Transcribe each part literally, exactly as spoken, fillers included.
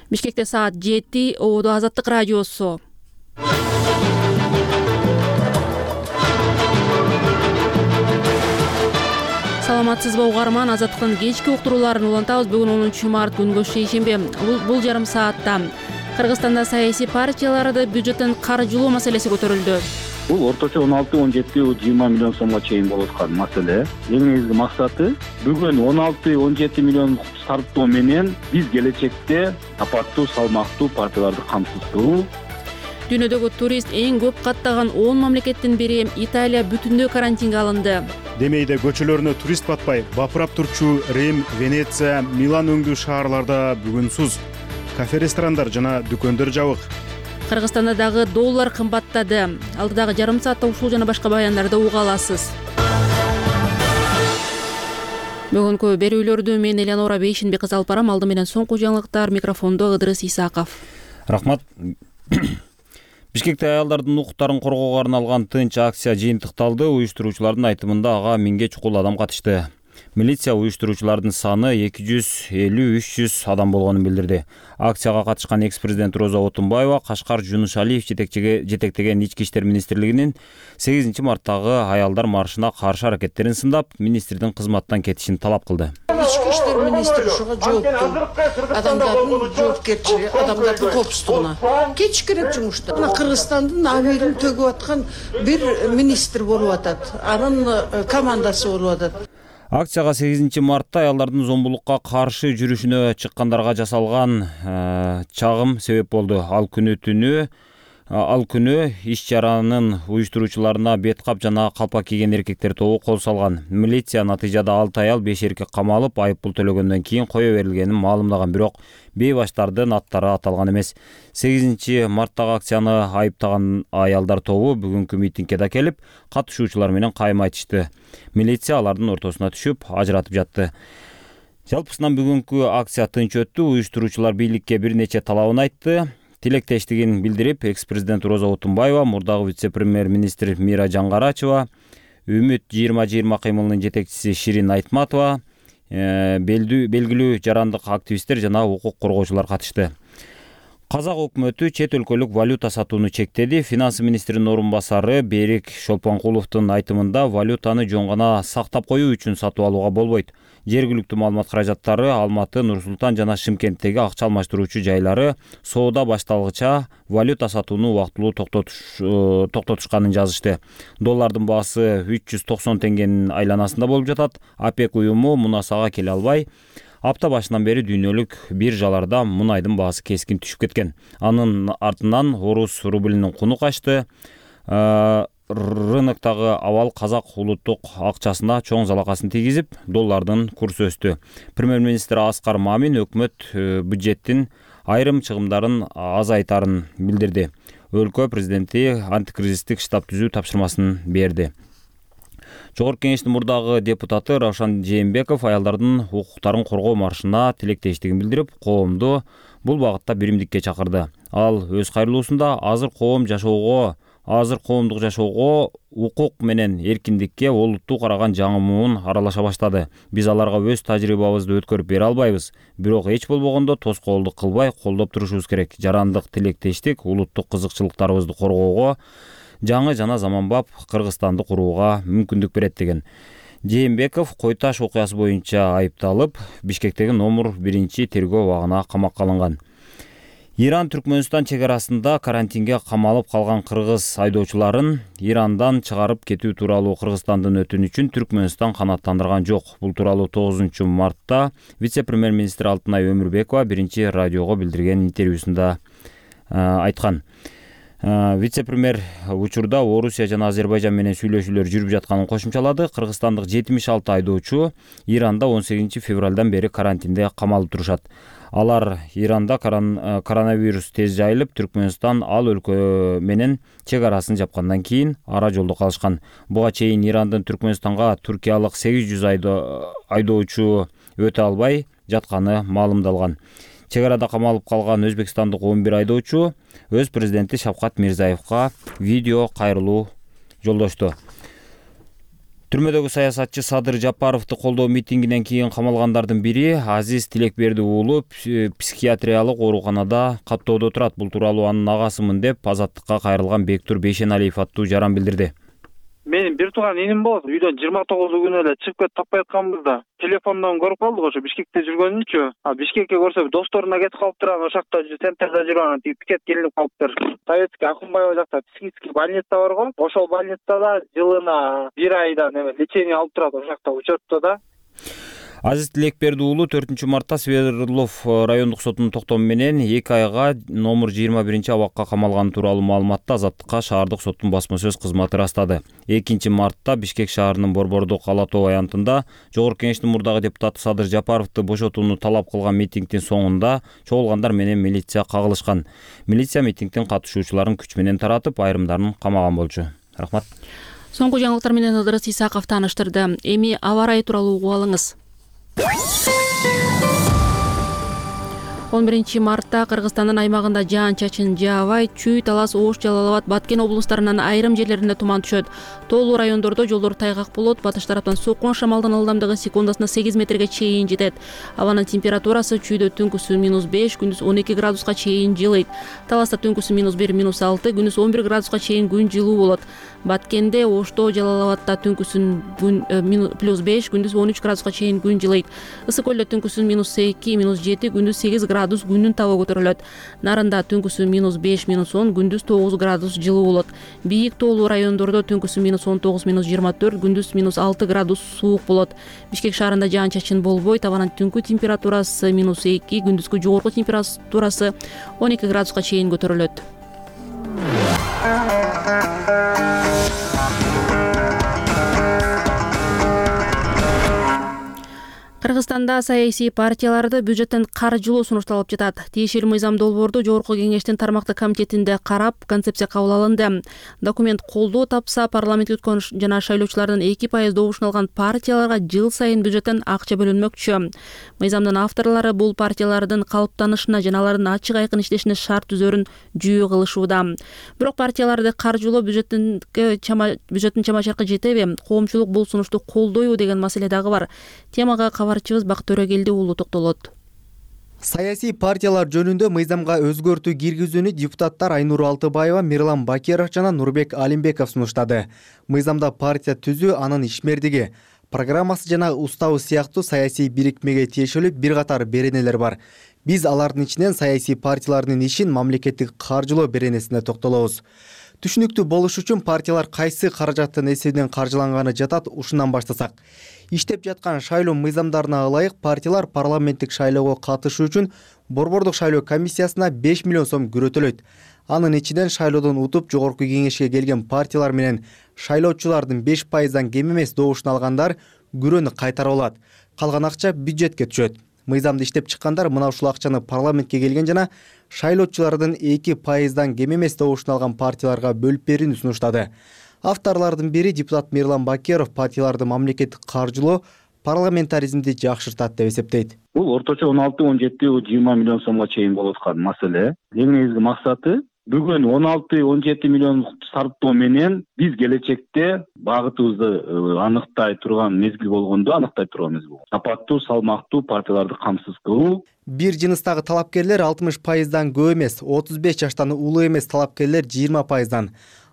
Бишкекте саат жети. Ободо Азаттык радиосу. Саламатсызбы угарман, Азаттыктын кечки уктурууларын улантабыз. Бүгүн онунчу март күнгө шейшембе. Бул жарым саатта Кыргызстанда саясий партияларды бюджеттен каржылоо маселеси көтөрүлдү. Бул орточо он алты он жети жыйырма миллион сомго чейин болуп аткан маселе. Эң негизги максаты бүгүн он алты он жети миллион сарптоо менен биз келечекте сапаттуу, салмактуу партияларды камсыздоо. Дүйнөдөгү турист эң көп каттаган он мамлекеттин бири Италия бүтүндөй карантинге алынды. Демейде көчөлөрүнө турист батпай, бапырап турчу Рим, Венеция, Милан өңдүү шаарларда бүгүн суз. Кафе, ресторандар жана дүкөндөр жабык. Кыргызстанда дагы доллар кымбаттады. Алдыдагы жарым саатта ушул жана башка баяндарды уга аласыз. Бүгүнкү берүүлөрдү мен Элеонора Бейшинбек алып барам. Алды менен соңку жаңылыктар, микрофондо Ыдырыс Исаков. Рахмат. Бишкекте аялдардын укуктарын коргоого арналган тынч акция жыйынтыкталды. Уюштуруучулардын айтымында ага миңге чукул адам катышты. Милиция уюштуруучулардын саны эки жүз элүү үч жүз адам болгонун билдирди. Акцияга катышкан экс-президент Роза Отунбаева Кашкар Жунушалиев жетектеген Ички иштер министрлигинин сегизинчи марттагы аялдар маршына каршы аракеттерин сындап, министрдин кызматтан кетишин талап кылды. Ички иштер министри ушуга жоопту. Адамдардын жоопкерчилиги, адамдардын коопсуздугуна кетиш керек жумуштан. Мына Кыргызстандын абийирин төгүп аткан бир министр болуп атат. Анын командасы болуп атат. Акцияга сегизинчи мартта аялдардын зомбулукка каршы жүрүшүнө чыккандарга жасалган чагым себеп болду. Ал күнү түнү ал күнү иш чаранын уюштуруучуларына бет кап жана калпак кийген эркектер тобу кол салган. Милиция натыйжада алты аял беш эркек камалып, айып пул төлөгөндөн кийин кое берилгенин маалымдаган, бирок бейбаштардын аттары аталган эмес. сегизинчи марттагы акцияны айыптаган аялдар тобу бүгүнкү митингге да келип, катышуучулар менен кайым айтышты. Милиция алардын ортосуна түшүп, ажыратып жатты. Жалпысынан бүгүнкү акция тынч өттү. Уюштуруучулар бийликке бир нече талабын айтты. Тилектештигин билдирип, экс-президент Роза Отунбаева, мурдагы вице-премьер-министр Мира Жаңгарачева, Үмүт жыйырма жыйырма кыймылынын жетекчиси Ширин Айтматова, белгилүү жарандык активисттер жана укук коргоочулар катышты. Казак өкмөтү чет өлкөлүк валюта сатууну чектеди. Финансы министринин орун басары Берик Шолпонкуловдун айтымында валютаны жөн гана сактап коюу үчүн сатып алууга болбойт. Жергиликтүү маалымат каражаттары Алматы, Нур-Султан жана Шымкенттеги акча алмаштыруучу жайлары соода башталгыча валюта сатууну убактылуу токтотушканын жазышты. Доллардын баасы үч жүз токсон теңгенин айланасында болуп жатат. ОПЕК уюму мунасага келе албай, апта башынан бери дүйнөлүк биржаларда мунайдын баасы кескин түшүп кеткен. Анын артынан орус рублинин куну качты. Рыноктагы абал казак улуттук акчасына чоң залакасын тийгизип, доллардын курсу өстү. Премьер-министр Аскар Мамин өкмөт бюджеттин айрым чыгымдарын азайтарын билдирди. Өлкө президенти антикризистик штаб түзүү тапшырмасын берди. Жогорку кеңештин мурдагы депутаты Равшан Жээнбеков аялдардын укуктарын коргоо маршына тилектештигин билдирип, коомду бул багытта биримдикке чакырды. Ал өз кайрылуусунда азыр коом жашоого Азыр коомдук жашоого укук менен эркиндикке олуттуу караган жаңы муун аралаша баштады. Биз аларга өз тажрыйбабызды өткөрүп бере албайбыз. Бирок эч болбогондо тоскоолдук кылбай колдоп турушубуз керек. Жарандык тилектештик улуттук кызыкчылыктарыбызды коргоого, жаңы жана заманбап Кыргызстанды курууга мүмкүндүк берет деген. Жээнбеков Кой Таш окуясы боюнча айыпталып, Бишкектеги номер биринчи тергөө абагына камакка алынган. Иран-Түркмөнстан чек арасында карантинге камалып калган кыргыз айдоочуларын Ирандан чыгарып кетүү тууралуу Кыргызстандын өтүнүчүн Түркмөнстан канааттандырган жок. Бул тууралуу тогузунчу мартта вице-премьер-министр Алтынай Өмүрбекова биринчи радиого билдирген интервьюсунда айткан. Вице-премьер учурда Орусия жана Азербайжан менен сүйлөшүүлөр жүрүп жатканын кошумчалады. Кыргызстандык жетимиш алты айдоочу Иранда он сегизинчи февралдан бери карантинде камалып турушат. Алар Иранда коронавирус тез жайылып, Түркмөнстан ал өлкө менен чек арасын жапкандан кийин ара жолдо калышкан. Буга чейин Ирандын Түркмөнстанга туркиялык сегиз жүз айдоочу өтө албай жатканы маалымдалган. Чек арада камалып калган өзбекстандык он бир айдоочу өз президенти Шавкат Мирзиевге видео кайрылуу жолдошту. Түрмөдөгү саясатчы Садыр Жапаровду колдоо митингинен кийин камалгандардын бири Азиз Тилекберди уулу психиатриялык ооруканада каттоодо турат. Бул тууралуу анын агасымын деп Азаттыкка кайрылган Бектур Бейшеналиев аттуу жаран билдирди. Менин бир тууган иним болот. Үйдөн жыйырма тогузу күнү эле чыгып кетип таппай атканбызда телефондон көрүп калдык, ошо Бишкекте жүргөнүнчү. А Бишкекке көрсө досторуна кетип калыптыр, анан ошакта центрде жүргөн тип пикет келип калыптыр. Советский Акунбаева жакта психический больница бар го. Ошол больницада жылына бир айдан эме лечение алып турат, ошакта учетто да. Азиз Тилекберди уулу төртүнчү мартта Свердлов райондук сотунун токтому менен эки айга номер жыйырма биринчи абакка камалганы тууралуу маалыматты Азаттыкка шаардык соттун басма сөз кызматы ырастады. экинчи мартта Бишкек шаарынын Борбордук Ала Тоо аянтында Жогорку Кеңештин мурдагы депутаты Садыр Жапаровду бошотууну талап кылган митингдин соңунда чогулгандар менен милиция кагылышкан. Милиция митингдин катышуучуларын күч менен таратып, айрымдарын камаган болчу. Рахмат. Соңку жаңылыктар менен Ыдырыс Исаков тааныштырды. Эми аба ырайы тууралуу угуп алыңыз. он биринчи мартта Кыргызстандын аймагында жаан-чачын жаабай, Чүй, Талас, Ош, Жалал Абад, Баткен облустарынын айрым жерлеринде туман түшөт. Тоолуу райондордо жолдор тайгак болот. Батыш тараптан соккон шамалдын ылдамдыгы секундасына сегиз метрге чейин жетет. Абанын температурасы Чүйдө түнкүсү минус беш, күндүз он эки градуска чейин жылыйт. Таласта түнкүсү минус бир, минус алты, күндүз он бир градуска чейин күн жылуу болот. Баткенде, Ошто, Жалал Абадта түнкүсүн күн плюс беш, күндүз он үч градуска чейин күн жылыйт. Ысык көлдө түнкүсүн минус эки, минус жети, күндүз сегиз градус күндүн табы көтөрүлөт. Нарында түнкүсү минус беш, минус он, күндүз тогуз градус жылуу болот. Бийик тоолуу райондордо түнкүсү минус он тогуз, минус жыйырма төрт, күндүз минус алты градус суук болот. Бишкек шаарында жаан-чачын болбойт. Абанын түнкү температурасы минус эки, күндүзгү жогорку температурасы он эки градуска чейин көтөрүлөт. Кыргызстанда саясий партияларды бюджеттен каржылоо сунушталып жатат. Тиешелүү мыйзам долбоорду Жогорку Кеңештин тармактык комитетинде карап, концепция кабыл алынды. Документ колдоо тапса, парламентке өткөн жана шайлоочулардын эки пайыз добушун алган партияларга жыл сайын бюджеттен акча бөлүнмөкчү. Мыйзамдын авторлору бул партиялардын калыптанышына жана алардын ачык айкын иштешине шарт түзөрүн жүйө кылышууда. Бирок партияларды каржылоо бюджеттин бюджеттин чама-чаркы жетеби? Коомчулук бул сунушту колдойбу деген маселе дагы бар. Темага кабарчыбыз Бактөрөгелди уулу токтолот. Саясий партиялар жөнүндө мыйзамга өзгөртүү киргизүүнү депутаттар Айнур Алтыбаева, Мирлан Бакиров жана Нурбек Алимбеков сунуштады. Мыйзамда партия түзүү, анын ишмердиги, программасы жана уставы сыяктуу саясий бирикмеге тиешелүү бир катар беренелер бар. Биз алардын ичинен саясий партиялардын ишин мамлекеттик каржылоо беренесине токтолобуз. Түшүнүктүү болуш үчүн партиялар кайсы каражаттын эсебинен каржыланганы жатат, ушундан баштасак. Иштеп жаткан шайлоо мыйзамдарына ылайык партиялар парламенттик шайлоого катышуу үчүн Борбордук шайлоо комиссиясына беш миллион сом күрөтөлөйт. Анын ичинен шайлоодон утуп Жогорку Кеңешке келген партиялар менен шайлоочулардын беш пайыздан кем эмес добушун алгандар күрөөнү кайтарып алат. Калган акча бюджетке түшөт. Мыйзамды иштеп чыккандар мына ушул акчаны парламентке келген жана шайлоочулардын эки пайыздан кем эмес добушун алган партияларга бөлүп берүүнү сунуштады. Авторлордун бири депутат Мирлан Бакиров партияларды мамлекеттик каржылоо парламентаризмди жакшыртат деп эсептейт. Бул орточо он алты он жети жыйырма миллион сомго чейин болуп аткан маселе. Эң негизги максаты бүгүн он алты он жети миллион сарптоо менен биз келечекте багытыбызды аныктай турган мезгил болгондо аныктай турган мезгил. Сапаттуу, салмактуу партияларды камсыз кылуу. Бир жыныстагы талапкерлер алтымыш пайыздан көп эмес, отуз беш жаштан улуу эмес талапкерлер жыйырма пайыздан,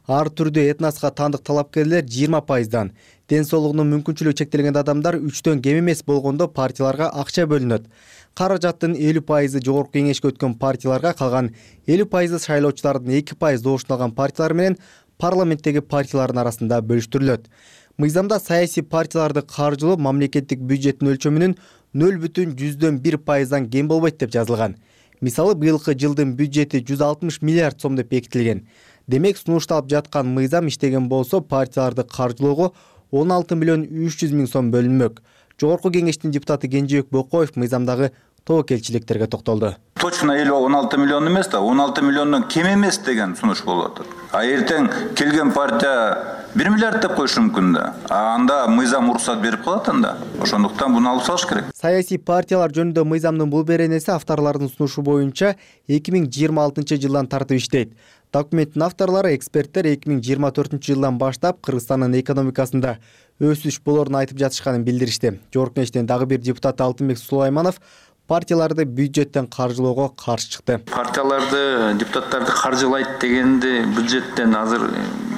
ар түрдүү этноска тандык талапкерлер жыйырма пайыздан, ден соолугунун мүмкүнчүлүгү чектелген адамдар үчтөн кем эмес болгондо партияларга акча бөлүнөт. Каражаттын элүү пайызы Жогорку Кеңешке өткөн партияларга, калган элүү пайызы шайлоочулардын эки пайыз добушун алган партиялар менен парламенттеги партиялардын арасында бөлүштүрүлөт. Мыйзамда саясий партияларды каржылоо мамлекеттик бюджеттин өлчөмүнүн нөл бүтүн жүздөн бир пайыздан кем болбойт деп жазылган. Мисалы, быйылкы жылдын бюджети жүз алтымыш миллиард сом деп бекитилген. Демек, сунушталып жаткан мыйзам иштеген болсо, партияларды каржылоого он алты миллион үч жүз миң сом бөлүнмөк. Жогорку Кеңештин депутаты Кенжебек Бокоев мыйзамдагы тобокелчиликтерге токтолду. Точно эле он алты миллион эмес да, он алты миллиондон кем эмес деген сунуш болуп атат. А эртең келген партия бир миллиард деп коюшу мүмкүн да. А анда мыйзам уруксат берип калат анда. Ошондуктан буну алып салыш керек. Саясий партиялар жөнүндө мыйзамдын бул беренеси авторлордун сунушу боюнча эки миң жыйырма алтынчы жылдан тартып иштейт. Документтин авторлору эксперттер эки миң жыйырма төртүнчү жылдан баштап Кыргызстандын экономикасында өсүш болоорун айтып жатышканын билдиришти. Жогорку Кеңештин дагы бир депутаты Алтынбек Сулайманов партияларды бюджеттен каржылоого каршы чыкты. Партияларды, депутаттарды каржылайт дегенди бюджеттен азыр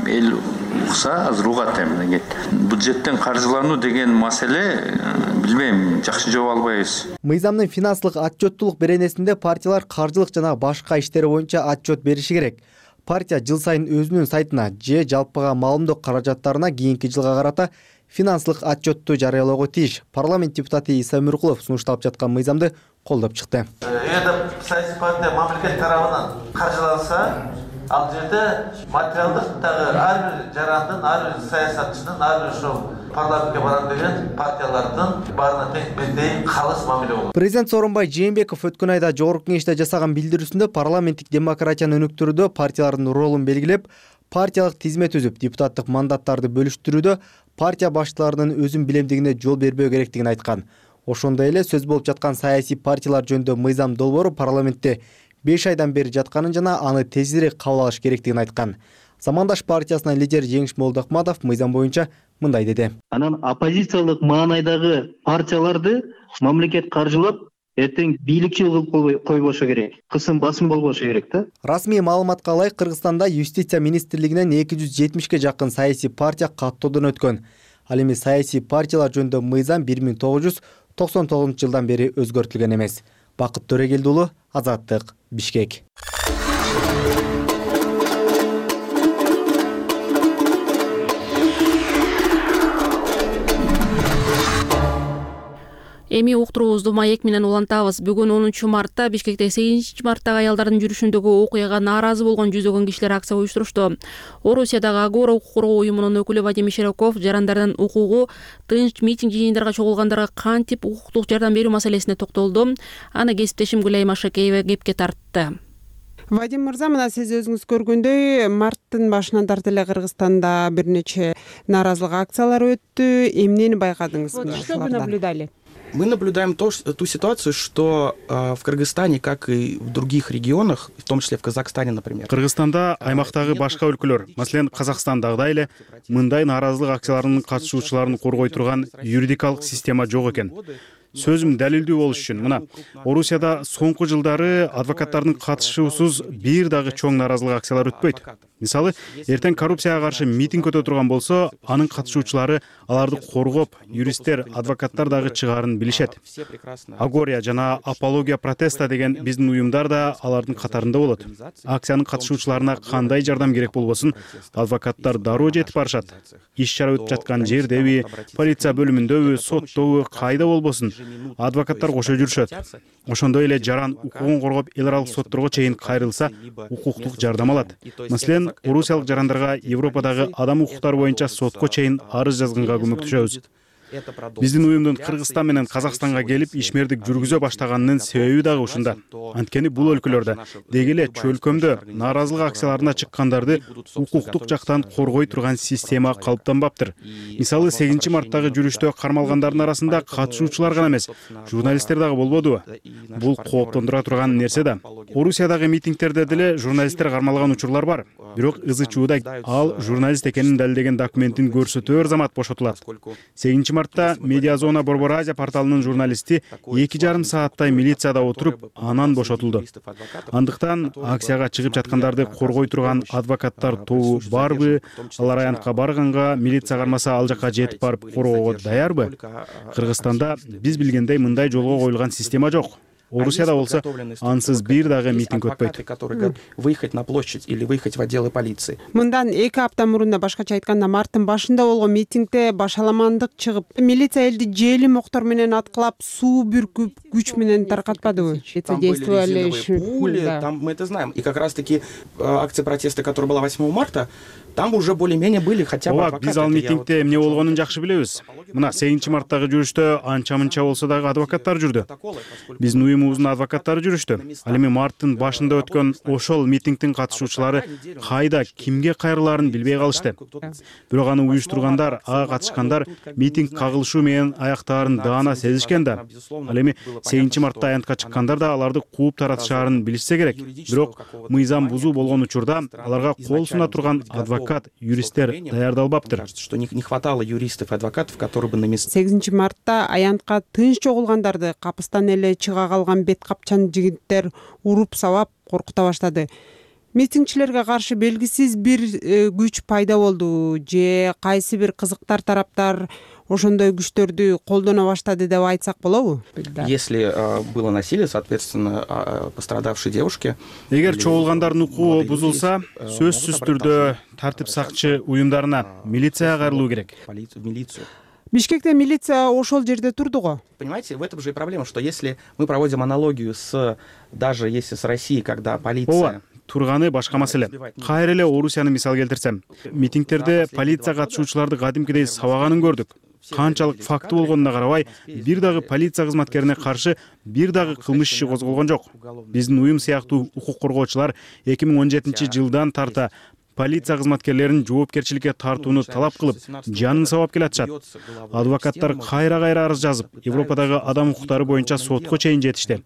эл укса, азыр угат эми. Бюджеттен каржылануу деген маселе билбейм, жакшы жооп албайбыз. Мыйзамдын финанслык отчеттуулук беренесинде партиялар каржылык жана башка иштери боюнча отчет бериши керек. Партия жыл сайын өзүнүн сайтына же жалпыга маалымдоо каражаттарына кийинки жылга карата финанслык отчетту жарыялоого тийиш. Парламент депутаты Иса Өмүркулов сунушталып жаткан мыйзамды колдоп чыкты. Эгер саясий партия мамлекет тарабынан каржыланса, ал жерде материалдык дагы ар бир жарандын, ар бир саясатчынын, ар бир ошол парламентке барам деген партиялардын баарына тең калыс мамиле болот. Президент Сооронбай Жээнбеков өткөн айда Жогорку Кеңеште жасаган билдирүүсүндө парламенттик демократияны өнүктүрүүдө партиялардын ролун белгилеп, партиялык тизме түзүп, депутаттык мандаттарды бөлүштүрүүдө партия башчыларынын өзүн билемдигине жол бербөө керектигин айткан. Ошондой эле сөз болуп жаткан саясий партиялар жөнүндө мыйзам долбоору парламентте беш айдан бери жатканын жана аны тезирээк кабыл алыш керектигин айткан. Замандаш партиясынын лидери Жеңиш Молдохматов мыйзам боюнча мындай деди. Анан оппозициялык маанайдагы партияларды мамлекет каржылап, эртең бийликчил кылып койбошу керек. Кысым басым болбошу керек да. Расмий маалыматка ылайык Кыргызстанда юстиция министрлигинен эки жүз жетимишке жакын саясий партия каттоодон өткөн. Ал эми саясий партиялар жөнүндө мыйзам бир миң тогуз жүз токсон тогузунчу жылдан бери өзгөртүлгөн эмес. Бакыт Төрегелди уулу, Азаттык, Бишкек. Эми уктуруубузду маек менен улантабыз. Бүгүн онунчу мартта Бишкекте сегизинчи марттагы аялдардын жүрүшүндөгү окуяга нааразы болгон жүздөгөн кишилер акция уюштурушту. Орусиядагы Агора укук коргоо уюмунун өкүлү Вадим Широков жарандардын укугу, тынч митинг жыйындарга чогулгандарга кантип укуктук жардам берүү маселесине токтолду. Аны кесиптешим Гүлайым Ашакеева кепке тартты. Вадим мырза, мына сиз өзүңүз көргөндөй, марттын башынан тартып эле Кыргызстанда бир нече нааразылык акциялары өттү. Эмнени байкадыңыз? Что вы наблюдали? Мы наблюдаем то, ту ситуацию, что э, в Кыргызстане, как и в других регионах, в том числе в Казахстане, например. Кыргызстанда аймактагы башка өлкөлөр, маселен Казакстандагыдай эле мындай нааразылык акцияларынын катышуучуларын коргой турган юридикалык система жок экен. Сөзүм далилдүү болуш үчүн мына Орусияда соңку жылдары адвокаттардын катышуусуз бир дагы чоң нааразылык акциялар өтпөйт. Мисалы, эртең коррупцияга каршы митинг өтө турган болсо, анын катышуучулары аларды коргоп, юристтер, адвокаттар дагы чыгаарын билишет. Агория жана Апология протеста деген биздин уюмдар да алардын катарында болот. Акциянын катышуучуларына кандай жардам керек болбосун, адвокаттар дароо жетип барышат. Иш чара өтүп жаткан жердеби, полиция бөлүмүндөбү, соттобу, кайда болбосун, адвокаттар кошо жүрүшөт. Ошондой эле жаран укугун коргоп эл аралык сотторго чейин кайрылса, укуктук жардам алат. Маселен, орусиялык жарандарга Европадагы адам укуктары боюнча сотко чейин арыз жазганга көмөктөшөбүз. Биздин уюмдун Кыргызстан менен Казакстанга келип ишмердик жүргүзө баштаганынын себеби дагы ушунда. Анткени бул өлкөлөрдө деги эле чөлкөмдө нааразылык акцияларына чыккандарды укуктук жактан коргой турган система калыптанбаптыр. Мисалы, сегизинчи марттагы жүрүштө кармалгандардын арасында катышуучулар гана эмес, журналисттер дагы болбодубу? Бул кооптондура турган нерсе да. Орусиядагы митингтерде деле журналисттер кармалган учурлар бар. Бирок ызы чууда ал журналист экенин далилдеген документин көрсөтөөр замат бошотулат. сегизинчи мартта Медиазона Борбор Азия порталынын журналисти эки жарым сааттай милицияда отуруп, анан бошотулду. Андыктан акцияга чыгып жаткандарды коргой турган адвокаттар тобу барбы? Алар аянтка барганга милиция кармаса ал жака жетип барып коргоого даярбы? Кыргызстанда биз билгендей мындай жолго коюлган система жок. Орусияда болсо ансыз бир дагы митинг өтпөйт. Выехать на площадь или выехать в отделы полиции. Мындан эки апта мурун, башкача айтканда, марттын башында болгон митингде башаламандык чыгып, милиция элди желим октор менен аткылап, суу бүркүп, күч менен таркатпадыбы? Там были резиновые пули, там мы это знаем. И как раз-таки акция протеста, которая была восьмого марта, там уже более-менее были хотя бы адвокаты. Биз ал митингде эмне болгонун жакшы билебиз. Мына сегизинчи марттагы жүрүштө анча-мынча болсо дагы адвокаттар жүрдү. Биздин уюмубуздун адвокаттары жүрүштү. Ал эми марттын башында өткөн ошол митингдин катышуучулары кайда кимге кайрылаарын билбей калышты. Бирок аны уюштургандар, ага катышкандар митинг кагылышуу менен аяктаарын даана сезишкен да. Ал эми сегизинчи мартта аянтка чыккандар да аларды кууп таратышаарын билишсе керек. Бирок мыйзам бузуу болгон учурда аларга кол суна турган адвокат, юристтер даярдалбаптыр. Что не хватало юристов и адвокатов, которые бы на месте. сегизинчи мартта аянтка тынч чогулгандарды капыстан эле чыга калган бет капчан жигиттер уруп сабап коркута баштады. Митингчилерге каршы белгисиз бир күч пайда болду же кайсы бир кызыктар тараптар ошондой күчтөрдү колдоно баштады деп айтсак болобу? Если uh, было насилие, соответственно, uh, пострадавшей девушке. Эгер чогулгандардын укугу бузулса, сөзсүз түрдө тартип сакчы уюмдарына, милицияга кайрылуу керек. Милицию. Бишкекте милиция ошол жерде турду го. Понимаете, в этом же и проблема, что если мы проводим аналогию с, даже если с Россией, когда полиция... Турганы башка маселе. Кайра эле Орусияны мисал келтирсем, митингтерде полиция катышуучуларды кадимкидей сабаганын көрдүк. Канчалык факты болгонуна карабай, бир дагы полиция кызматкерине каршы бир дагы кылмыш иши козголгон жок. Биздин уюм сыяктуу укук коргоочулар эки миң он жетинчи жылдан тарта полиция кызматкерлерин жоопкерчиликке тартууну талап кылып, жанын сабап келатышат. Адвокаттар кайра-кайра арыз жазып, Европадагы адам укуктары боюнча сотко чейин жетишти.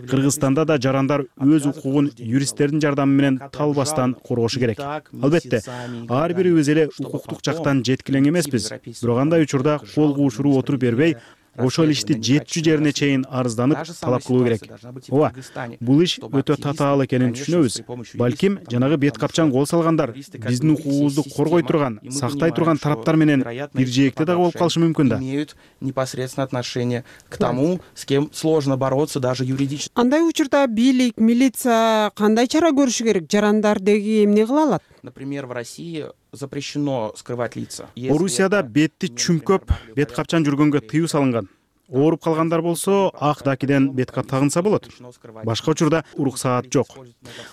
Кыргызстанда да жарандар өз укугун юристтердин жардамы менен талбастан коргошу керек. Албетте, ар бирибиз эле укуктук жактан жеткилең эмеспиз. Бирок андай учурда кол куушуруу отуруп бербей, ошол ишти жетчү жерине чейин арызданып талап кылуу керек. Ооба, бул иш өтө татаал экенин түшүнөбүз. Балким жанагы бет капчан кол салгандар биздин укугубузду коргой турган, сактай турган тараптар менен бир жээкте дагы болуп калышы мүмкүн да. Имеют непосредственно отношение к тому, с кем сложно бороться даже юридически. Андай учурда бийлик, милиция кандай чара көрүшү керек? Жарандар деги эмне кыла алат? Например, в России запрещено скрывать лица. Орусияда бетти чүмкөп, бет капчан жүргөнгө тыюу салынган. Ооруп калгандар болсо, ак дакиден бет кап тагынса болот. Башка учурда уруксаат жок.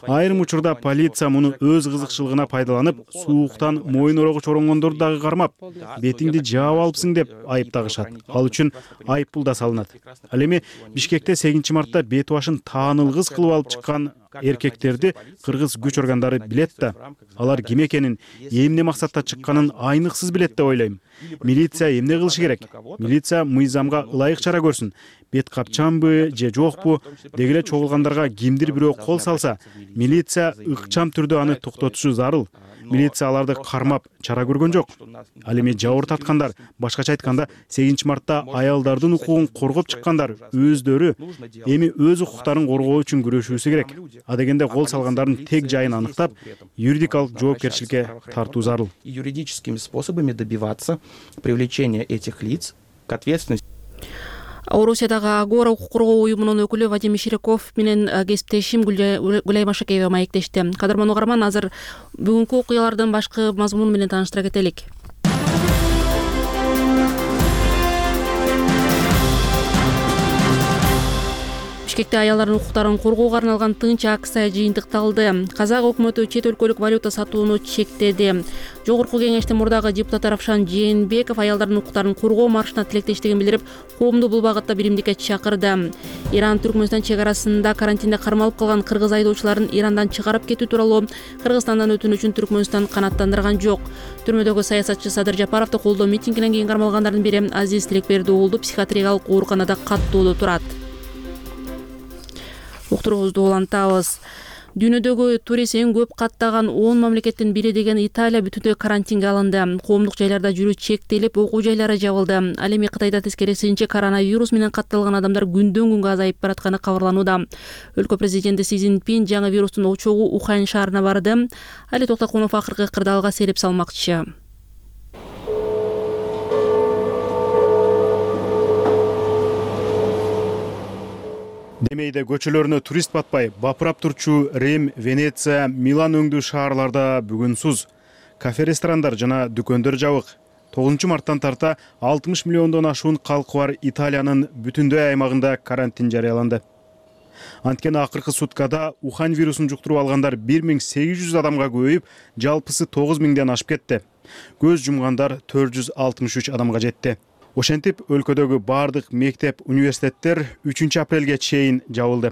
Айрым учурда полиция муну өз кызыкчылыгына пайдаланып, сууктан моюн орогуч оронгондорду дагы кармап, бетиңди жаап алыпсың деп айып тагышат. Ал үчүн айып пул да салынат. Ал эми Бишкекте сегизинчи мартта бет башын таанылгыс кылып алып чыккан эркектерди кыргыз күч органдары билет да. Алар ким экенин, эмне максатта чыкканын айныксыз билет деп ойлойм. Милиция эмне кылышы керек? Милиция мыйзамга ылайык чара көрсүн. Бет капчанбы же жокпу, деги эле чогулгандарга кимдир бирөө кол салса, милиция ыкчам түрдө аны токтотушу зарыл. Милиция аларды кармап чара көргөн жок. Ал эми жабыр таткандар, башкача айтканда, сегизинчи мартта аялдардын укугун коргоп чыккандар өздөрү эми өз укуктарын коргоо үчүн күрөшүүсү керек. А дегенде кол салгандардын тег жайын аныктап, юридикалык жоопкерчиликке тартуу зарыл. Юридическими способами добиваться привлечения этих лиц к ответственности. Орусиядагы Агора укук коргоо уюмунун өкүлү Вадим Иширеков менен кесиптешим Гүлай Машакеева маектешти. Кадырман угарман, азыр бүгүнкү окуялардын башкы мазмуну менен тааныштыра кетелик. Бишкекте аялдардын укуктарын коргоого арналган тынч акция жыйынтыкталды. Казак өкмөтү чет өлкөлүк валюта сатууну чектеди. Жогорку кеңештин мурдагы депутаты Равшан Жээнбеков аялдардын укуктарын коргоо маршына тилектештигин билдирип, коомду бул багытта биримдикке чакырды. Иран Түркмөнстан чек арасында карантинде кармалып калган кыргыз айдоочуларын Ирандан чыгарып кетүү тууралуу Кыргызстандан өтүнүчүн Түркмөнстан канааттандырган жок. Түрмөдөгү саясатчы Садыр Жапаровду колдоо митингинен кийин кармалгандардын бири Азиз Тилекберди уулу психиатриялык ооруканада каттоодо турат. Уктуруубузду улантабыз. Дүйнөдөгү турист эң көп каттаган он мамлекеттин бири деген Италия бүтүндөй карантинге алынды. Коомдук жайларда жүрүү чектелип, окуу жайлары жабылды. Ал эми Кытайда тескерисинче коронавирус менен катталган адамдар күндөн күнгө азайып баратканы кабарланууда. Өлкө президенти Си Цзиньпин жаңы вирустун очогу Ухань шаарына барды. Али Токтокунов акыркы кырдаалга сереп салмакчы. Демейде көчөлөрүнө турист батпай, бапырап турчу Рим, Венеция, Милан өңдүү шаарларда бүгүн суз. Кафе-ресторандар жана дүкөндөр жабык. тогузунчу марттан тарта алтымыш миллиондон ашуун калкы бар Италиянын бүтүндөй аймагында карантин жарыяланды. Анткени акыркы суткада Ухань вирусун жуктуруп алгандар бир миң сегиз жүз адамга көбөйүп, жалпысы тогуз миңден ашып кетти. Көз жумгандар төрт жүз алтымыш үч адамга жетти. Ошентип өлкөдөгү баардык мектеп, университеттер үчүнчү апрелге чейин жабылды.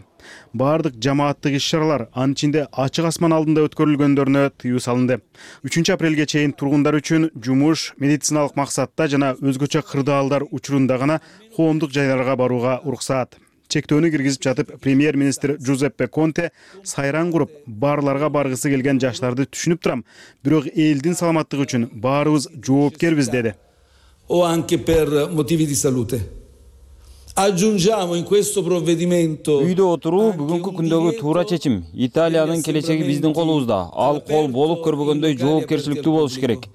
Баардык жамааттык иш-чаралар, анын ичинде ачык асман алдында өткөрүлгөндөрүнө тыюу салынды. үчүнчү апрелге чейин тургундар үчүн жумуш, медициналык максатта жана өзгөчө кырдаалдар учурунда гана коомдук жайларга барууга уруксаат. Чектөөнү киргизип жатып, премьер-министр Джузеппе Конте сайран куруп, баарларга баргысы келген жаштарды түшүнүп турам, бирок элдин саламаттыгы үчүн баарыбыз жоопкербиз деди. O anche per motivi di salute. Aggiungiamo in questo provvedimento. Үйдө отуруу бүгүнкү күндөгү туура чечим. Италиянын келечеги биздин колубузда. Ал кол болуп көрбөгөндөй жоопкерчиликтүү болуш керек.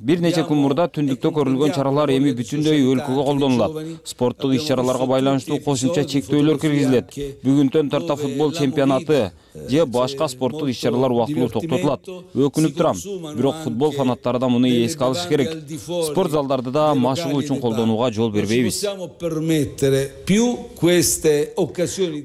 Бир нече күн мурда түндүктө көрүлгөн чаралар эми бүтүндөй өлкөгө колдонулат. Спорттук иш-чараларга байланыштуу кошумча чектөөлөр киргизилет. Бүгүнтөн тарта футбол чемпионаты же башка спорттук иш-чаралар убактылуу токтотулат. Өкүнүп турам, бирок футбол фанаттары да муну эске алышы керек. Спорт залдарды да машыгуу үчүн колдонууга жол бербейбиз.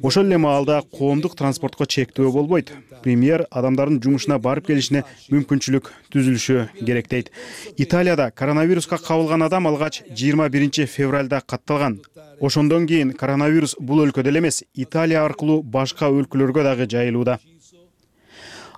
Ошол эле маалда коомдук транспортко чектөө болбойт. Премьер адамдардын жумушуна барып келишине мүмкүнчүлүк түзүлүшү керек дейт. Италияда коронавируска кабылган адам алгач жыйырма биринчи февралда катталган. Ошондон кийин коронавирус бул өлкөдө эле эмес, Италия аркылуу башка өлкөлөргө дагы жайылууда.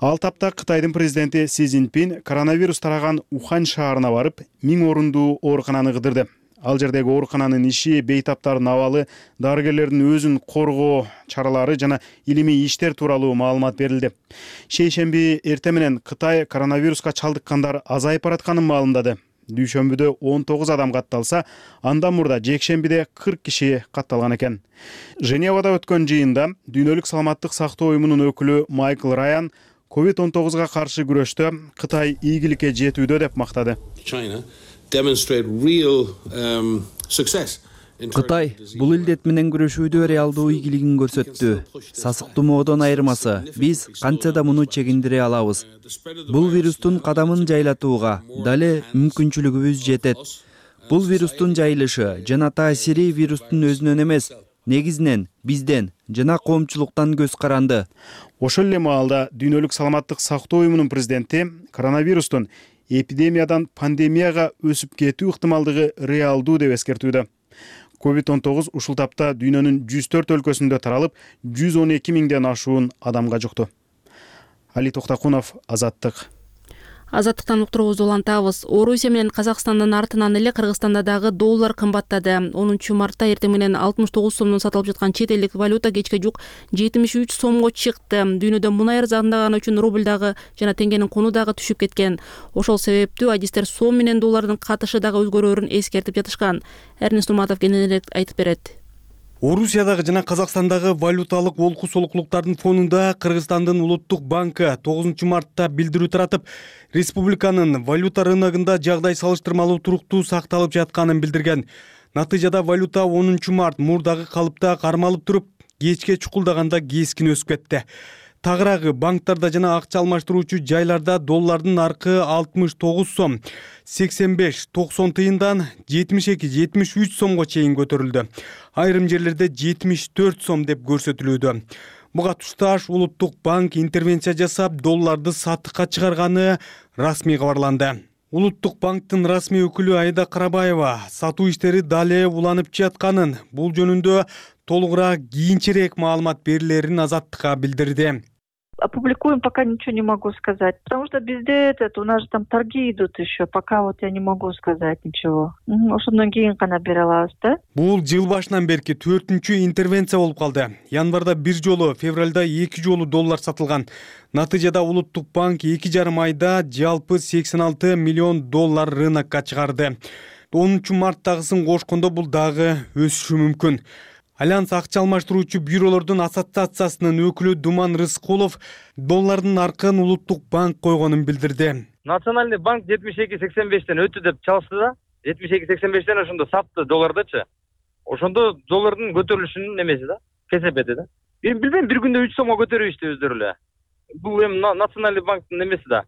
Ал тапта Кытайдын президенти Си Цзиньпин коронавирус тараган Ухань шаарына барып, миң орундуу оорукананы кыдырды. Ал жердеги оорукананын иши, бейтаптардын абалы, дарыгерлердин өзүн коргоо чаралары жана илимий иштер тууралуу маалымат берилди. Шейшемби эртең менен Кытай коронавируска чалдыккандар азайып баратканын маалымдады. Дүйшөмбүдө он тогуз адам катталса, андан мурда жекшембиде кырк киши катталган экен. Женевада өткөн жыйында Дүйнөлүк саламаттык сактоо уюмунун өкүлү Майкл Раян ковид он тогузга каршы күрөштө Кытай ийгиликке жетүүдө деп мактады. Кытай бул илдет менен күрөшүүдө реалдуу ийгилигин көрсөттү. Сасык тумоодон айырмасы, биз канча да муну чегиндире алабыз. Бул вирустун кадамын жайлатууга дале мүмкүнчүлүгүбүз жетет. Бул вирустун жайылышы жана таасири вирустун өзүнөн эмес, негизинен бизден жана коомчулуктан көз каранды. Ошол эле маалда Дүйнөлүк саламаттык сактоо уюмунун президенти коронавирустун эпидемиядан пандемияга өсүп кетүү ыктымалдыгы реалдуу деп эскертүүдө. ковид он тогуз ушул тапта дүйнөнүн жүз төрт өлкөсүндө таралып, жүз он эки миңден ашуун адамга жукту. Али Токтакунов, Азаттык. Азаттыктан уктуруубузду улантабыз. Орусия менен Казакстандын артынан эле Кыргызстанда дагы доллар кымбаттады. онунчу мартта эртең менен алтымыш тогуз сомдон сатылып жаткан чет элдик валюта кечке жук жетимиш үч сомго чыкты. Дүйнөдө мунай арзандаганы үчүн рубль дагы жана теңгенин куну дагы түшүп кеткен. Ошол себептүү адистер сом менен доллардын катышы дагы өзгөрөөрүн эскертип жатышкан. Эрнест Нурматов кененирээк айтып берет. Орусиядагы жана Казакстандагы валюталык олку солуклуктардын фонунда Кыргызстандын улуттук банкы тогузунчу мартта билдирүү таратып, республиканын валюта рыногунда жагдай салыштырмалуу туруктуу сакталып жатканын билдирген. Натыйжада валюта онунчу март мурдагы калыпта кармалып туруп, кечке чукулдаганда кескин өсүп кетти. Тагыраагы банктарда жана акча алмаштыруучу жайларда доллардын наркы алтымыш тогуз сом, сексен беш токсон тыйындан жетимиш эки жетимиш үч сомго чейин көтөрүлдү. Айрым жерлерде жетимиш төрт сом деп көрсөтүлүүдө. Буга тушташ улуттук банк интервенция жасап, долларды сатыкка чыгарганы расмий кабарланды. Улуттук банктын расмий өкүлү Айда Карабаева сатуу иштери дале уланып жатканын, бул жөнүндө толугураак кийинчерээк маалымат берилерин Азаттыкка билдирди. Опубликуем, пока ничего не могу сказать. Потому что bizde этот, у нас же там торги идут еще. Пока вот я не могу сказать ничего. Ошондон кийин гана бере алабыз да. Бул жыл башынан берки төртүнчү интервенция болуп калды. Январда бир жолу, февралда эки жолу доллар сатылган. Натыйжада улуттук банк эки жарым айда жалпы сексен алты миллион доллар рынокко чыгарды. онунчу марттагысын кошкондо бул дагы өсүшү мүмкүн. Альянс акча алмаштыруучу бюролордун ассоциациясынын өкүлү Думан Рыскулов доллардын наркын улуттук банк койгонун билдирди. Национальный банк жетимиш эки сексен бештен өтү деп чалышты да. жетимиш эки сексен бештен ошондо сатты доллардычы. Ошондо доллардын көтөрүлүшүнүн немеси да, кесепети да. Мен билбейм, бир күндө үч сомго көтөрүштү өздөрү эле. Бул эми национальный банктын немеси да,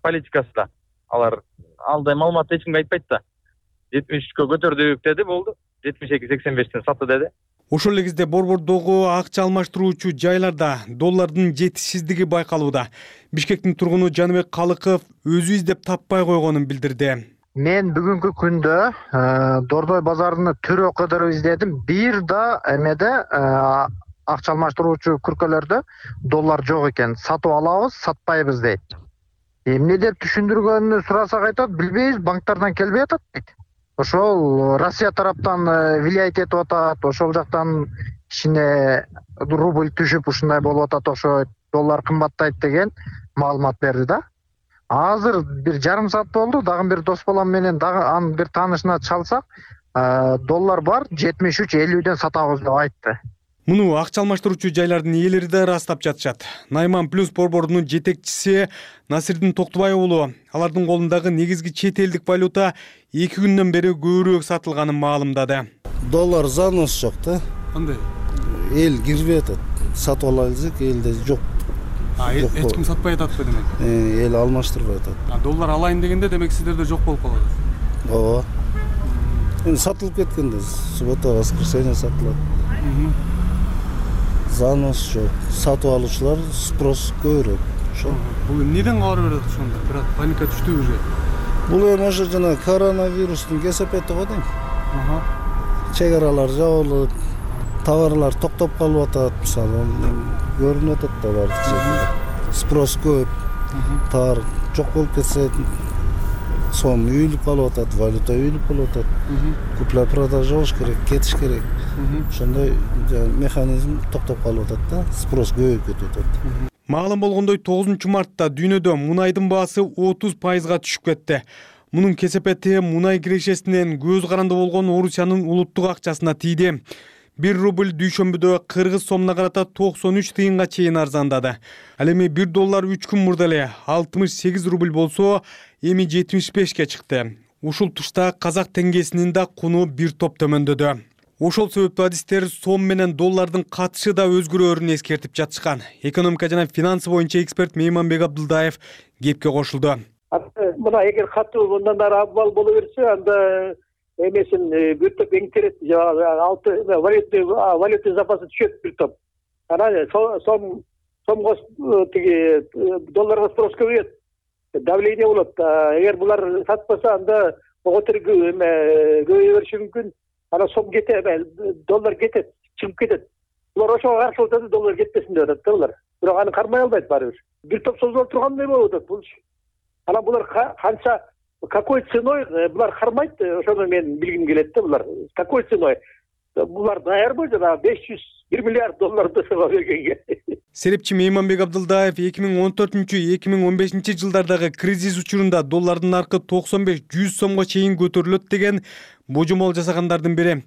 политикасы да. Алар алдай маалыматты эч кимге айтпайт да. жетимиш үчкө көтөрдүк деди, болду. жетимиш эки сексен бештен сатты деди. Ошол эле кезде борбордогу акча алмаштыруучу жайларда доллардын жетишсиздиги байкалууда. Бишкектин тургуну Жаныбек Калыков өзү издеп таппай койгонун билдирди. Мен бүгүнкү күндө Дордой базарында төрө кадыр издедим. Бир да эмеде акча алмаштыруучу күркөлөрдө доллар жок экен. Сатып алабыз, сатпайбыз дейт. Эмне деп түшүндүргөнүн сурасак айтат, билбейбиз, банктардан келбей атат дейт. Ошол Россия тараптан влиять этип атат, ошол жактан кичине рубль түшүп ушундай болуп атат, ошо доллар кымбаттайт деген маалымат берди да. Азыр бир жарым саат болду, дагы бир дос балам менен дагы анын бир таанышына чалсак, доллар бар, жетимиш үч элүүдөн сатабыз деп айтты. Муну акча алмаштыруучу жайлардын ээлери да ырастап жатышат. Найман Плюс борборунун жетекчиси Насирдин Токтобай уулу алардын колундагы негизги чет элдик валюта эки күндөн бери көбүрөөк сатылганын маалымдады. Доллар занос жок да. Кандай? Эл кирбей атат. Сатып ала элсек, элде жок. А, эч ким сатпай ататпы демек? Эл алмаштырбай атат. А доллар алайын дегенде демек сиздерде жок болуп калат. Ооба. Эми сатылып кеткенде суббота, воскресенье сатылат. Занос жок. Сатып алуучулар спрос көбүрөөк. Ошо. Бул эмнеден кабар берет ошондо? Бирок паника түштү уже. Бул эми ошо жана коронавирустун кесепети го дейм. Ага. Чек аралар жабылып, товарлар токтоп калып атат, мисалы, көрүнүп атат да баардык жерде. Спрос көп. Товар жок болуп кетсе, сом үйүлүп калып атат, валюта үйүлүп калып атат. Купля продажа болуш керек, кетиш керек. Ошондой механизм токтоп калып атат да, спрос көбөйүп кетип атат. Маалым болгондой тогузунчу мартта дүйнөдө мунайдын баасы отуз пайызга түшүп кетти. Мунун кесепети мунай кирешесинен көз каранды болгон Орусиянын улуттук акчасына тийди. бир рубль дүйшөмбүдө кыргыз сомуна карата токсон үч тыйынга чейин арзандады. Ал эми бир доллар үч күн мурда эле алтымыш сегиз рубль болсо, эми жетимиш бешке чыкты. Ушул тушта казак теңгесинин да куну бир топ төмөндөдү. Ошол себептүү адистер сом менен доллардын катышы да өзгөрөөрүн эскертип жатышкан. Экономика жана финансы боюнча эксперт Мейманбек Абдылдаев кепке кошулду. Мына эгер катуу мындан ары абал боло берсе, анда эмесин бир топ эңтирет, алты валюта запасы түшөт бир топ. Анан сом сомго тиги долларга спрос көбөйөт. Давление болот. Эгер булар сатпаса, анда оготур көбөйө бериши мүмкүн. Ана сом кетет, доллар кетет, чыгып кетет. Булар ошого каршы отуруп, доллар кетпесин деп атат да булар. Бирок аны кармай албайт баарыбир. Бир топ созулуп тургандай болуп атат бул. Анан булар канча, какой ценой булар кармайт, ошону мен билгим келет да булар. Какой ценой? Булар даярбы жана беш жүз бир миллиард долларды сыга бергенге. Серепчи Мейманбек Абдылдаев эки миң он төртүнчү — эки миң он бешинчи жылдардагы кризис учурунда доллардын наркы токсон беш — жүз сомго чейин көтөрүлөт деген божомол жасагандардын бири.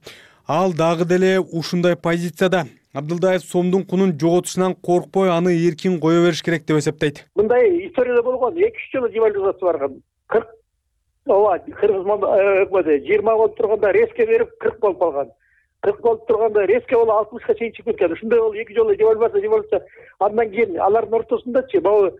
Ал дагы деле ушундай позицияда. Абдылдаев сомдун кунун жоготушунан коркпой, аны эркин кое бериш керек деп эсептейт. Мындай историяда болгон, эки үч жолу девальвация барган. кырк ооба, кыргыз өкмөтү жыйырма болуп турганда резко берип кырк болуп калган. кырк болуп турганда резко болуп алтымышка чейин чыгып кеткен. Ушундай болуп эки жолу девальвация девальвация. Андан кийин алардын ортосундачы могу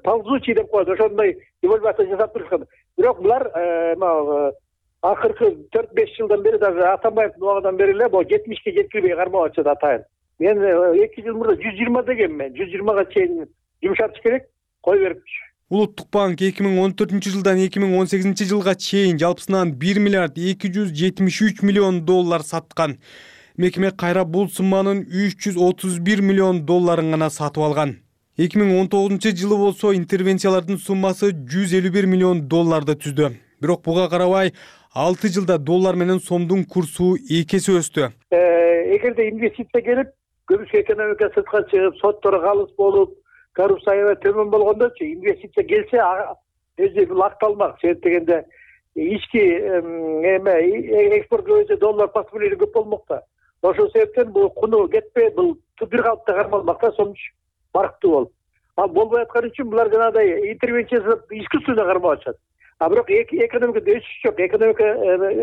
ползучий деп коет, ошондой девальвация жасап турушкан. Бирок булар акыркы төрт беш жылдан бери, даже Атамбаевдин убагынан бери эле могу жетимишке жеткирбей кармап атышат атайын. Мен эки жыл мурда жүз жыйырма дегенмен, жүз жыйырмага чейин жумшатыш керек, кой берипчү. Улуттук банк эки миң он төртүнчү жылдан эки миң он сегизинчи жылга чейин жалпысынан бир миллиард эки жүз жетимиш үч миллион доллар саткан. Мекеме кайра бул сумманын үч жүз отуз бир миллион долларын гана сатып алган. эки миң он тогузунчу жылы болсо интервенциялардын суммасы жүз элүү бир миллион долларды түздү. Бирок буга карабай алты жылда доллар менен сомдун курсу эки эсе өстү. Эгерде инвестиция келип, көбүсү экономика сыртка чыгып, соттор калыс болуп, коррупция төмөн болгондочу инвестиция келсе, өзү бул акталмак. Себеп дегенде ички эме экспорт көбөйсө доллар портфелио көп болмок да. Ошол себептен бул куну кетпей, бул бир калыпта кармалмак да, сомчу барктуу болуп. Ал болбой аткан үчүн булар жанагындай интервенция жасап, искусственно кармап атышат. А бирок экономикада өсүш жок, экономика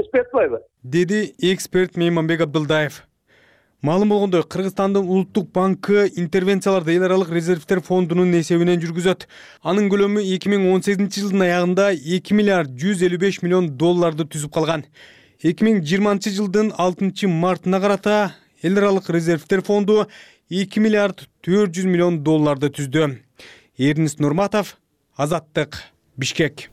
өспөй атпайбы? Деди эксперт Мейманбек Абдылдаев. Маалым болгондой, Кыргызстандын улуттук банкы интервенцияларды эл аралык резервдер фондунун эсебинен жүргүзөт. Анын көлөмү эки миң он сегизинчи жылдын аягында эки миллиард жүз элүү беш миллион долларды түзүп калган. эки миң жыйырманчы жылдын алтынчы мартына карата эл аралык резервдер фонду эки миллиард төрт жүз миллион долларды түздү. Эрнис Нурматов, Азаттык, Бишкек.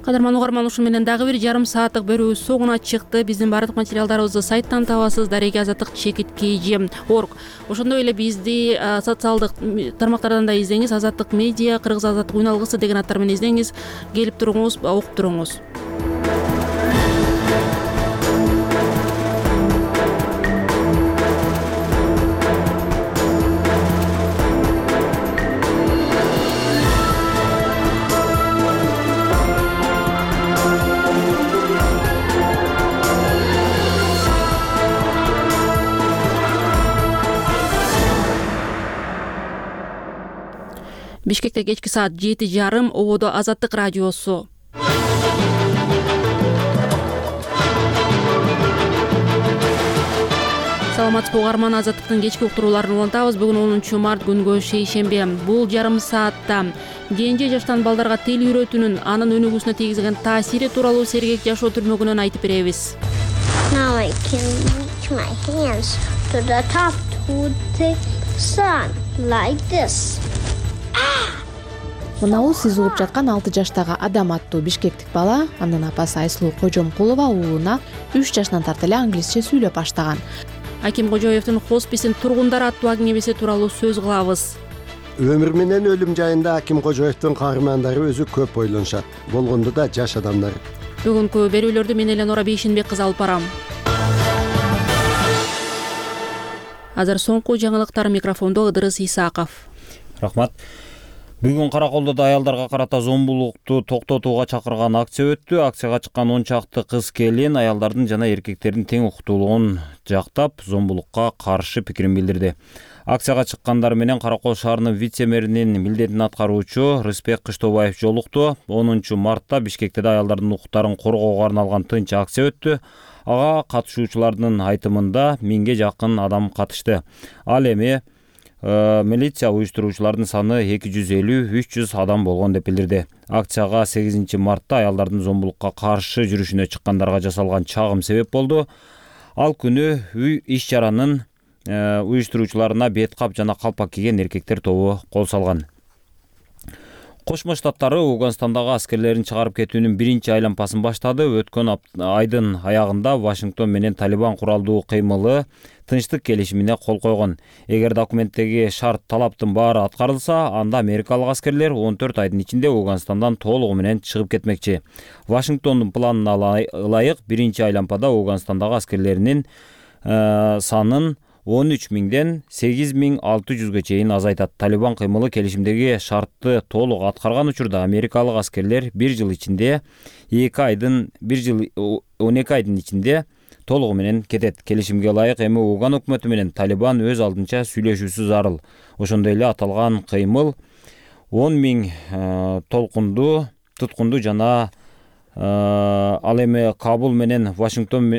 Кадырман угарман, ушу менен дагы бир жарым сааттык берүү соңуна чыкты. Биздин баардык материалдарыбызды сайттан табасыз. Дареге Азаттык чекит kg орг. Ошондой эле бизди социалдык тармактардан да издеңиз. Азаттык медиа, Кыргыз Азаттык үн алгысы деген аттар менен издеңиз. Келип туруңуз, окуп туруңуз. Бишкекте кечки саат жети жарым, ободо Азаттык радиосу. Саламатсызбы угарман, Азаттыктын кечки уктурууларын улантабыз. Бүгүн онунчу март күнгө шейшембе. Бул жарым саатта кенже жаштан балдарга тил үйрөтүүнүн анын өнүгүүсүнө тийгизген таасири тууралуу сергек жашоо түрмөгүнөн айтып беребиз. Now I can reach my hands to the top to the sun like this. Мынау сиз угуп жаткан алты жаштагы Адам аттуу бишкектик бала, анын апасы Айсулуу Кожомкулова уулуна үч жашынан тарта эле англисче сүйлөп баштаган. Аким Кожоевдин хосписин тургундар аттуу кеңебеси тууралуу сөз кылабыз. Өмүр менен өлүм жайында Аким Кожоевдин каармандары өзү көп ойлонушат. Болгондо да жаш адамдар. Бүгүнкү берүүлөрдү мен Эленора Бейшенбек кызы алып барам. Азыр соңку жаңылыктар, микрофондо Ыдырыс Исаков. Рахмат. Бүгүн Караколдодо аялдарга карата зомбулукту токтотууга чакырган акция өттү. Акцияга чыккан он чакты кыз келин аялдардын жана эркектердин тең укуктуулугун жактап, зомбулукка каршы пикирин билдирди. Акцияга чыккандар менен Каракол шаарынын вице-мэринин милдетин аткаруучу Рыспек Кыштобаев жолукту. онунчу мартта Бишкекте аялдардын укуктарын коргоого арналган тынч акция өттү. Ага катышуучулардын айтымында миңге жакын адам катышты. Ал эми милиция уюштуруучулардын саны эки жүз элүү үч жүз адам болгон деп билдирди. Акцияга сегизинчи мартта аялдардын зомбулукка каршы жүрүшүнө чыккандарга жасалган чагым себеп болду. Ал күнү үй иш-чаранын уюштуруучуларына бет кап жана калпак кийген эркектер тобу кол салган. Кошмо Штаттары Ауганстандагы аскерлерин чыгарып кетүүнүн биринчи айлампасын баштады. Өткөн айдын аягында Вашингтон менен Талибан куралдуу кыймылы тынчтык келишимине кол койгон. Эгер документтеги шарт талаптын баары аткарылса, анда америкалык аскерлер он төрт айдын ичинде Ауганстандан толугу менен чыгып кетмекчи. Вашингтондун планына ылайык биринчи айлампада Ауганстандагы аскерлеринин санын он үч миңден сегиз миң алты жүзгө чейин азайтат. Талибан кыймылы келишимдеги шартты толук аткарган учурда америкалык аскерлер бир жыл ичинде эки айдын бир жыл он эки айдын ичинде толугу менен кетет. Келишимге ылайык эми Ауган өкмөтү менен Талибан өз алдынча сүйлөшүүсү зарыл. Ошондой эле аталган кыймыл он миң толкунду туткунду жана ал эми Кабул менен Вашингтон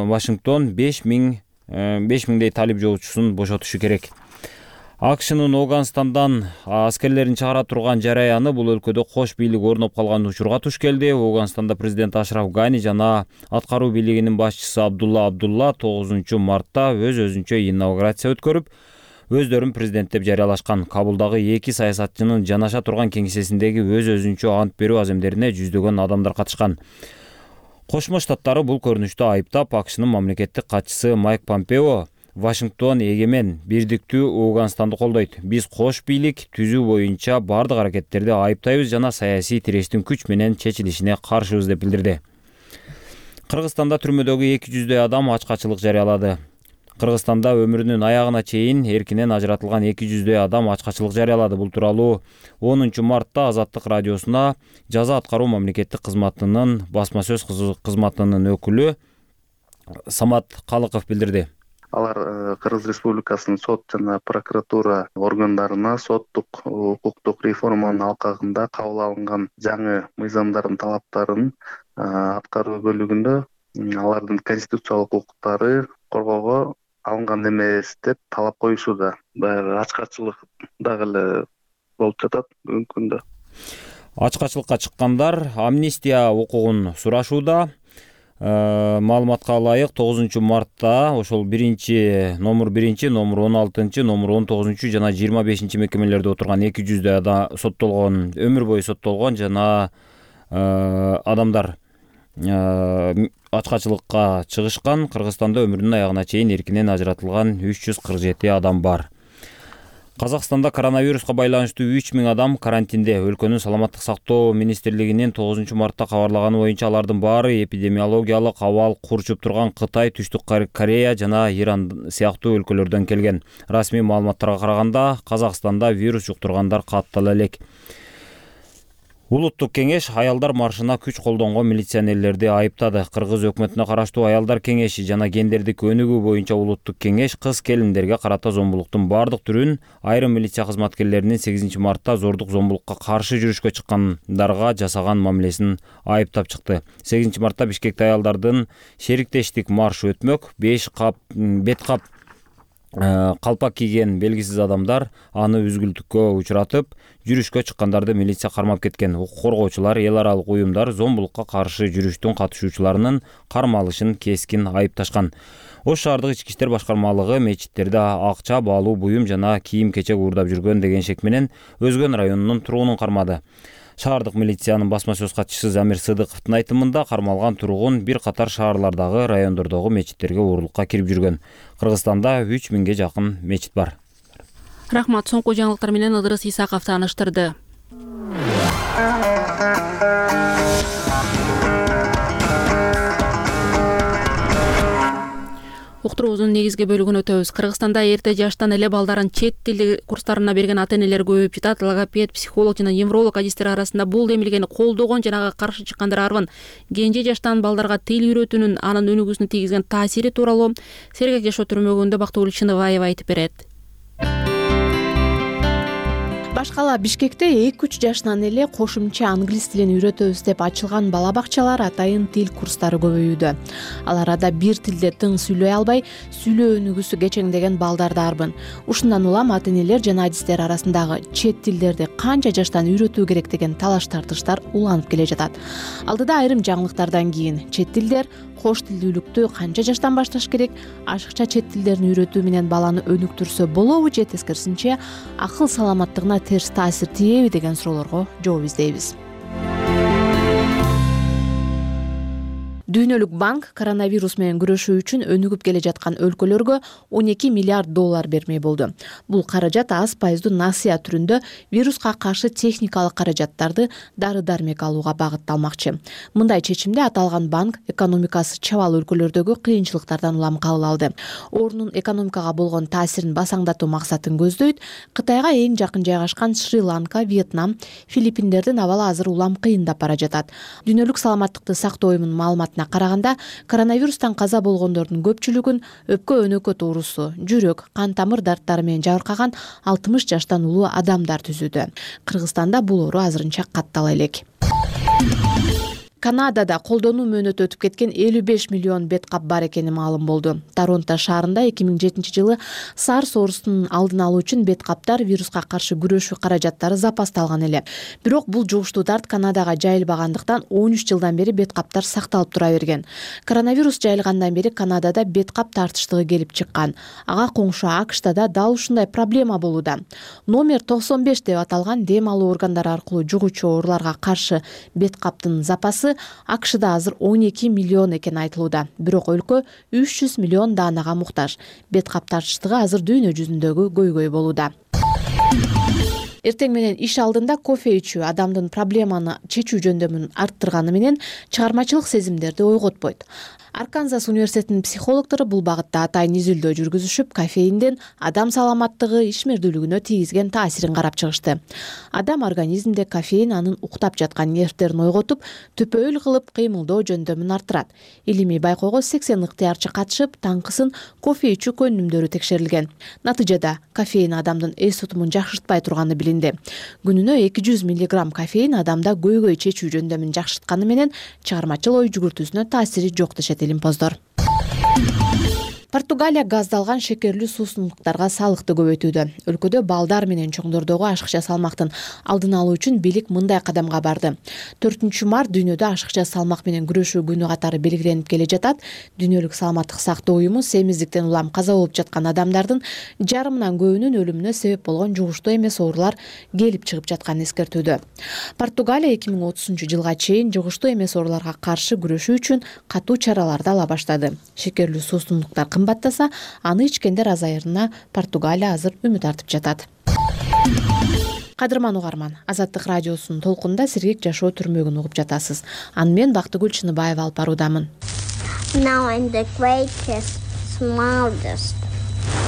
Вашингтон беш миң беш миңдей талип жоочусун бошотушу керек. АКШнын Ауганстандан аскерлерин чыгара турган жараяны бул өлкөдө кош бийлик орноп калган учурга туш келди. Ауганстанда президент Ашраф Гани жана аткаруу бийлигинин башчысы Абдулла Абдулла тогузунчу мартта өз өзүнчө инаугурация өткөрүп, өздөрүн президент деп жарыялашкан. Кабулдагы эки саясатчынын жанаша турган кеңсесиндеги өз өзүнчө ант берүү аземдерине жүздөгөн адамдар катышкан. Кошмо Штаттары бул көрүнүштү айыптап, АКШнын мамлекеттик катчысы Майк Помпео Вашингтон эгемен бирдиктүү Ауганстанды колдойт. Биз кош бийлик түзүү боюнча бардык аракеттерди айыптайбыз жана саясий тирештин күч менен чечилишине каршыбыз деп билдирди. Кыргызстанда түрмөдөгү эки жүздөй адам ачкачылык жарыялады. Кыргызстанда өмүрүнүн аягына чейин эркинен ажыратылган эки жүздөй адам ачкачылык жарыялады. Бул тууралуу онунчу мартта Азаттык радиосуна жаза аткаруу мамлекеттик кызматынын басма сөз кызматынын өкүлү Самат Калыков билдирди. Алар Кыргыз Республикасынын сот жана прокуратура органдарына соттук укуктук реформанын алкагында кабыл алынган жаңы мыйзамдардын талаптарын аткаруу бөлүгүндө алардын конституциялык укуктары коргоого алынган эмес деп талап коюшууда. Баягы ачкачылык дагы эле болуп жатат бүгүнкү күндө. Ачкачылыкка чыккандар амнистия укугун сурашууда. Маалыматка ылайык тогузунчу мартта ошол биринчи номер биринчи, номер он алтынчы, номер он тогузунчу жана жыйырма бешинчи мекемелерде отурган эки жүздөй адам соттолгон, өмүр бою соттолгон жана адамдар ачкачылыкка чыгышкан. Кыргызстанда өмүрүнүн аягына чейин эркинен ажыратылган үч жүз кырк жети адам бар. Казакстанда коронавируска байланыштуу үч миң адам карантинде. Өлкөнүн саламаттык сактоо министрлигинин тогузунчу мартта кабарлаганы боюнча алардын баары эпидемиологиялык абал курчуп турган Кытай, Түштүк Корея жана Иран сыяктуу өлкөлөрдөн келген. Расмий маалыматтарга караганда Казакстанда вирус жуктургандар каттала элек. Улуттук кеңеш аялдар маршына күч колдонгон милиционерлерди айыптады. Кыргыз өкмөтүнө караштуу аялдар кеңеши жана гендердик өнүгүү боюнча улуттук кеңеш кыз келиндерге карата зомбулуктун бардык түрүн, айрым милиция кызматкерлеринин сегизинчи мартта зордук зомбулукка каршы жүрүшкө чыккандарга жасаган мамилесин айыптап чыкты. сегизинчи мартта Бишкекте аялдардын шериктештик маршы өтмөк. беш кап бет кап калпак кийген белгисиз адамдар аны үзгүлтүккө учуратып, жүрүшкө чыккандарды милиция кармап кеткен. Укук коргоочулар, эл аралык уюмдар зомбулукка каршы жүрүштүн катышуучуларынын кармалышын кескин айыпташкан. Ош шаардык ички иштер башкармалыгы мечиттерде акча, баалуу буюм жана кийим-кечек уурдап жүргөн деген шек менен Өзгөн районунун тургунун кармады. Шаардык милициянын басма сөз катчысы Замир Сыдыковдун айтымында кармалган тургун бир катар шаарлардагы, райондордогу мечиттерге уурулукка кирип жүргөн. Кыргызстанда үч миңге жакын мечит бар. Рахмат. Соңку жаңылыктар менен Ыдырыс Исаков тааныштырды. Уктуруубуздун негизги бөлүгүн өтөбүз. Кыргызстанда эрте жаштан эле балдарын чет тил курстарына берген ата-энелер көбөйүп жатат. Логопед, психолог жана невролог адистер арасында бул демилгени колдогон жана ага каршы чыккандар арбын. Кенже жаштан балдарга тил үйрөтүүнүн анын өнүгүүсүнө тийгизген таасири тууралуу Сергек жашоо түрмөгүндө Бактыгүл Чыныбаева айтып берет. Башкала Бишкекте эки үч жашынан эле кошумча англис тилин үйрөтөбүз деп ачылган бала бакчалар, атайын тил курстары көбөйүүдө. Ал арада бир тилде тың сүйлөй албай, сүйлөө өнүгүүсү кечеңдеген балдар да арбын. Ушундан улам ата-энелер жана адистер арасындагы чет тилдерди канча жаштан үйрөтүү керек деген талаш тартыштар уланып келе жатат. Алдыда айрым жаңылыктардан кийин чет тилдер, кош тилдүүлүктү канча жаштан башташ керек, ашыкча чет тилдерин үйрөтүү менен баланы өнүктүрсө болобу же тескерисинче акыл саламаттыгына терс таасир тиеби деген суроолорго жооп издейбиз. Дүйнөлүк банк коронавирус менен күрөшүү үчүн өнүгүп келе жаткан өлкөлөргө он эки миллиард доллар бермей болду. Бул каражат аз пайыздуу насыя түрүндө вируска каршы техникалык каражаттарды дары-дармек алууга багытталмакчы. Мындай чечимди аталган банк экономикасы чабал өлкөлөрдөгү кыйынчылыктардан улам кабыл алды. Оорунун экономикага болгон таасирин басаңдатуу максатын көздөйт. Кытайга эң жакын жайгашкан Шри-Ланка, Вьетнам, Филиппиндердин абалы азыр улам кыйындап бара жатат. Дүйнөлүк саламаттыкты сактоо уюмунун маалыматына караганда, коронавирустан каза болгондордун көпчүлүгүн өпкө өнөкөт оорусу, жүрөк, кан тамыр дарттары менен жабыркаган алтымыш жаштан улуу адамдар түзүүдө. Кыргызстанда бул оору азырынча каттала элек. Канадада колдонуу мөөнөтү өтүп кеткен элүү беш миллион бет кап бар экени маалым болду. Торонто шаарында эки миң жетинчи жылы SARS оорусунун алдын алуу үчүн бет каптар вируска каршы күрөшүү каражаттары запасталган эле. Бирок бул жугуштуу дарт Канадага жайылбагандыктан он үч жылдан бери бет каптар сакталып тура берген. Коронавирус жайылгандан бери Канадада бет кап тартыштыгы келип чыккан. Ага коңшу АКШта да дал ушундай проблема болууда. Номер токсон беш деп аталган дем алуу органдары аркылуу жугуучу ооруларга каршы бет каптын запасы АКШда азыр он эки миллион экен айтылууда. Бирок өлкө үч жүз миллион даанага муктаж. Бет кап тартыштыгы азыр дүйнө жүзүндөгү көйгөй болууда. Эртең менен иш алдында кофе ичүү адамдын проблеманы чечүү жөндөмүн арттырганы менен чыгармачылык сезимдерди ойготпойт. Арканзас университетинин психологдору бул багытта атайын изилдөө жүргүзүшүп, кофеиндин адам саламаттыгы, ишмердүүлүгүнө тийгизген таасирин карап чыгышты. Адам организмде кофеин анын уктап жаткан нервтерин ойготуп, төпөөл кылып кыймылдоо жөндөмүн арттырат. Илимий байкоого сексен ыктыярчы катышып, таңкысын кофе ичүү көнүмдөрү текшерилген. Натыйжада кофеин адамдын эс тутумун жакшыртпай турганы билинди. Күнүнө эки жүз миллиграмм кофеин адамда көйгөй чечүү жөндөмүн жакшыртканы менен чыгармачыл ой жүгүртүүсүнө таасири жок дешет илимпоздор. Португалия газдалган шекерлүү суусундуктарга салыкты көбөйтүүдө. Өлкөдө балдар менен чоңдордогу ашыкча салмактын алдын алуу үчүн бийлик мындай кадамга барды. төртүнчү март дүйнөдө ашыкча салмак менен күрөшүү күнү катары белгиленип келе жатат. Дүйнөлүк саламаттык сактоо уюму семиздиктен улам каза болуп жаткан адамдардын жарымынан көбүнүн өлүмүнө себеп болгон жугуштуу эмес оорулар келип чыгып жатканын эскертүүдө. Португалия эки миң отузунчу жылга чейин жугуштуу эмес ооруларга каршы күрөшүү үчүн катуу чараларды ала баштады. Шекерлүү суусундуктар кымбаттаса, аны ичкендер азайырына Португалия азыр үмүт артып жатат. Кадырман угарман, Азаттык радиосунун толкунда сергек жашоо түрмөгүн угуп жатасыз. Аны мен Бактыгүл Чыныбаева алып баруудамын. Now I'm the greatest, smallest.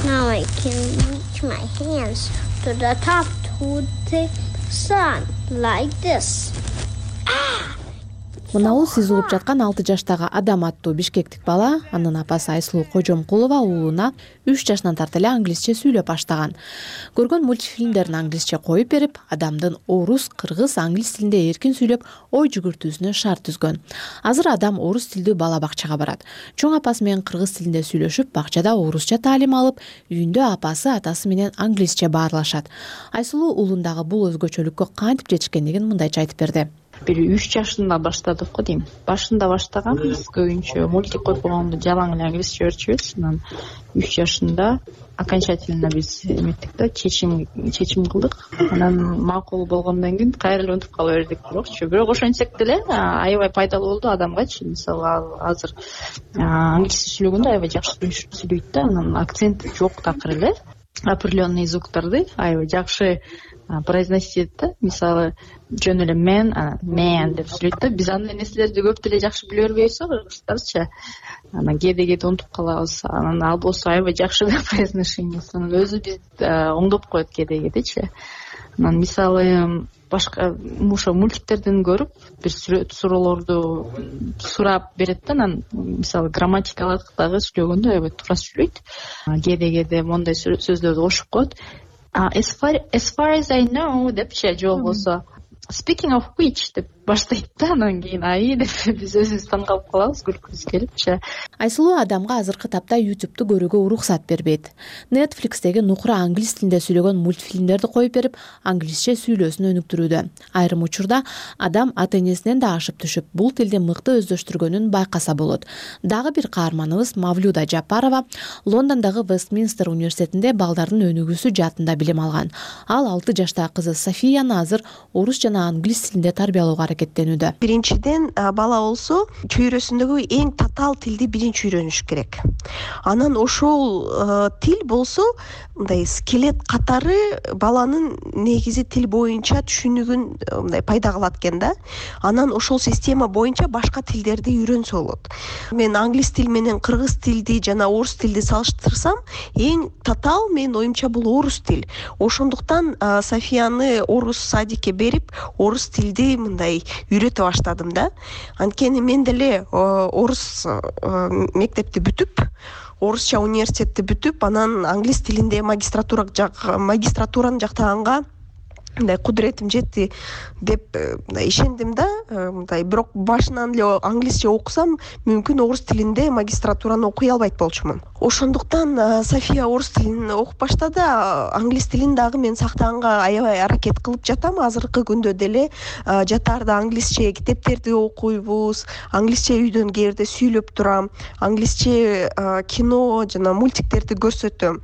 Now I can reach my hands to the top to the sun like this. Мынау сиз угуп жаткан алты жаштагы Адам аттуу бишкектик бала, анын апасы Айсулуу Кожомкулова уулуна үч жашынан тарта эле англисче сүйлөп баштаган. Көргөн мультфильмдерин англисче коюп берип, Адамдын орус, кыргыз, англис тилинде эркин сүйлөп, ой жүгүртүүсүнө шарт түзгөн. Азыр Адам орус тилдүү бала бакчага барат. Чоң апасы менен кыргыз тилинде сүйлөшүп, бакчада орусча таалим алып, үйүндө апасы, атасы менен англисче баарлашат. Айсулуу уулундагы бул өзгөчөлүккө кантип жетишкендигин мындайча айтып берди. Бир үч жашында баштадык го дейм. Башында баштаган биз көбүнчө мультик коюп койгондо жалаң эле англисче өчүбүз. Анан үч жашында окончательно биз эметтик да, чечим чечим кылдык. Анан макул болгондон кийин кайра эле унутуп кала бердик бирокчу. Бирок ошентсек деле аябай пайдалуу болду адамгачы. Мисалы азыр англисче сүйлөгөндө аябай жакшы сүйлөйт да, анан акцент жок такыр эле. Определенный звуктарды аябай жакшы произносить этет да. Мисалы жөн эле мен, мен деп сүйлөйт да. Биз андай нерселерди көп деле жакшы биле бербейбиз го, кыргыздарча. Анан кээде кээде унутуп калабыз. Анан ал болсо аябай жакшы произношениеси. Анан өзү бизди оңдоп коет кээде кээдечи. Анан мисалы башка ошо мультиктерден көрүп бир суроолорду сурап берет да. Анан мисалы грамматикалык дагы сүйлөгөндө аябай туура сүйлөйт. Кээде кээде мондай сөздөрдү кошуп коет. As far, as far as I know депчи, же болбосо speaking of which деп баштайт да. Анан кийин ай деп биз өзүбүз таң калып калабыз, күлкүбүз келипчи. Айсулуу Адамга азыркы тапта ютубту көрүүгө уруксат бербейт. Netflixтеги нукура англис тилинде сүйлөгөн мультфильмдерди коюп берип, англисче сүйлөөсүн өнүктүрүүдө. Айрым учурда Адам ата-энесинен да ашып түшүп, бул тилди мыкты өздөштүргөнүн байкаса болот. Дагы бир каарманыбыз Мавлюда Жапарова Лондондогу Вестминстер университетинде балдардын өнүгүүсү жаатында билим алган. Ал алты жаштагы кызы Софияны азыр орус жана англис тилинде тарбиялоого аракеттенүүдө. Биринчиден бала болсо чөйрөсүндөгү эң татаал тилди биринчи үйрөнүш керек. Анан ошол тил болсо мындай скелет катары баланын негизи тил боюнча түшүнүгүн мындай пайда кылат экен да. Анан ошол система боюнча башка тилдерди үйрөнсө болот. Мен англис тил менен кыргыз тилди жана орус тилди салыштырсам, эң татаал менин оюмча бул орус тил. Ошондуктан Софияны орус садикке берип, орус тилди мындай үйрөтө баштадым да. Анткени мен деле орус мектепти бүтүп, орусча университетти бүтүп, анан англис тилинде магистратура магистратураны жактаганга мындай кудуретим жетти деп ишендим да. Мындай бирок башынан эле англисче окусам, мүмкүн орус тилинде магистратураны окуй албайт болчумун. Ошондуктан София орус тилин окуп баштады. Англис тилин дагы мен сактаганга аябай аракет кылып жатам. Азыркы күндө деле жатаарда англисче китептерди окуйбуз, англисче үйдөн кээрде сүйлөп турам, англисче кино жана мультиктерди көрсөтөм.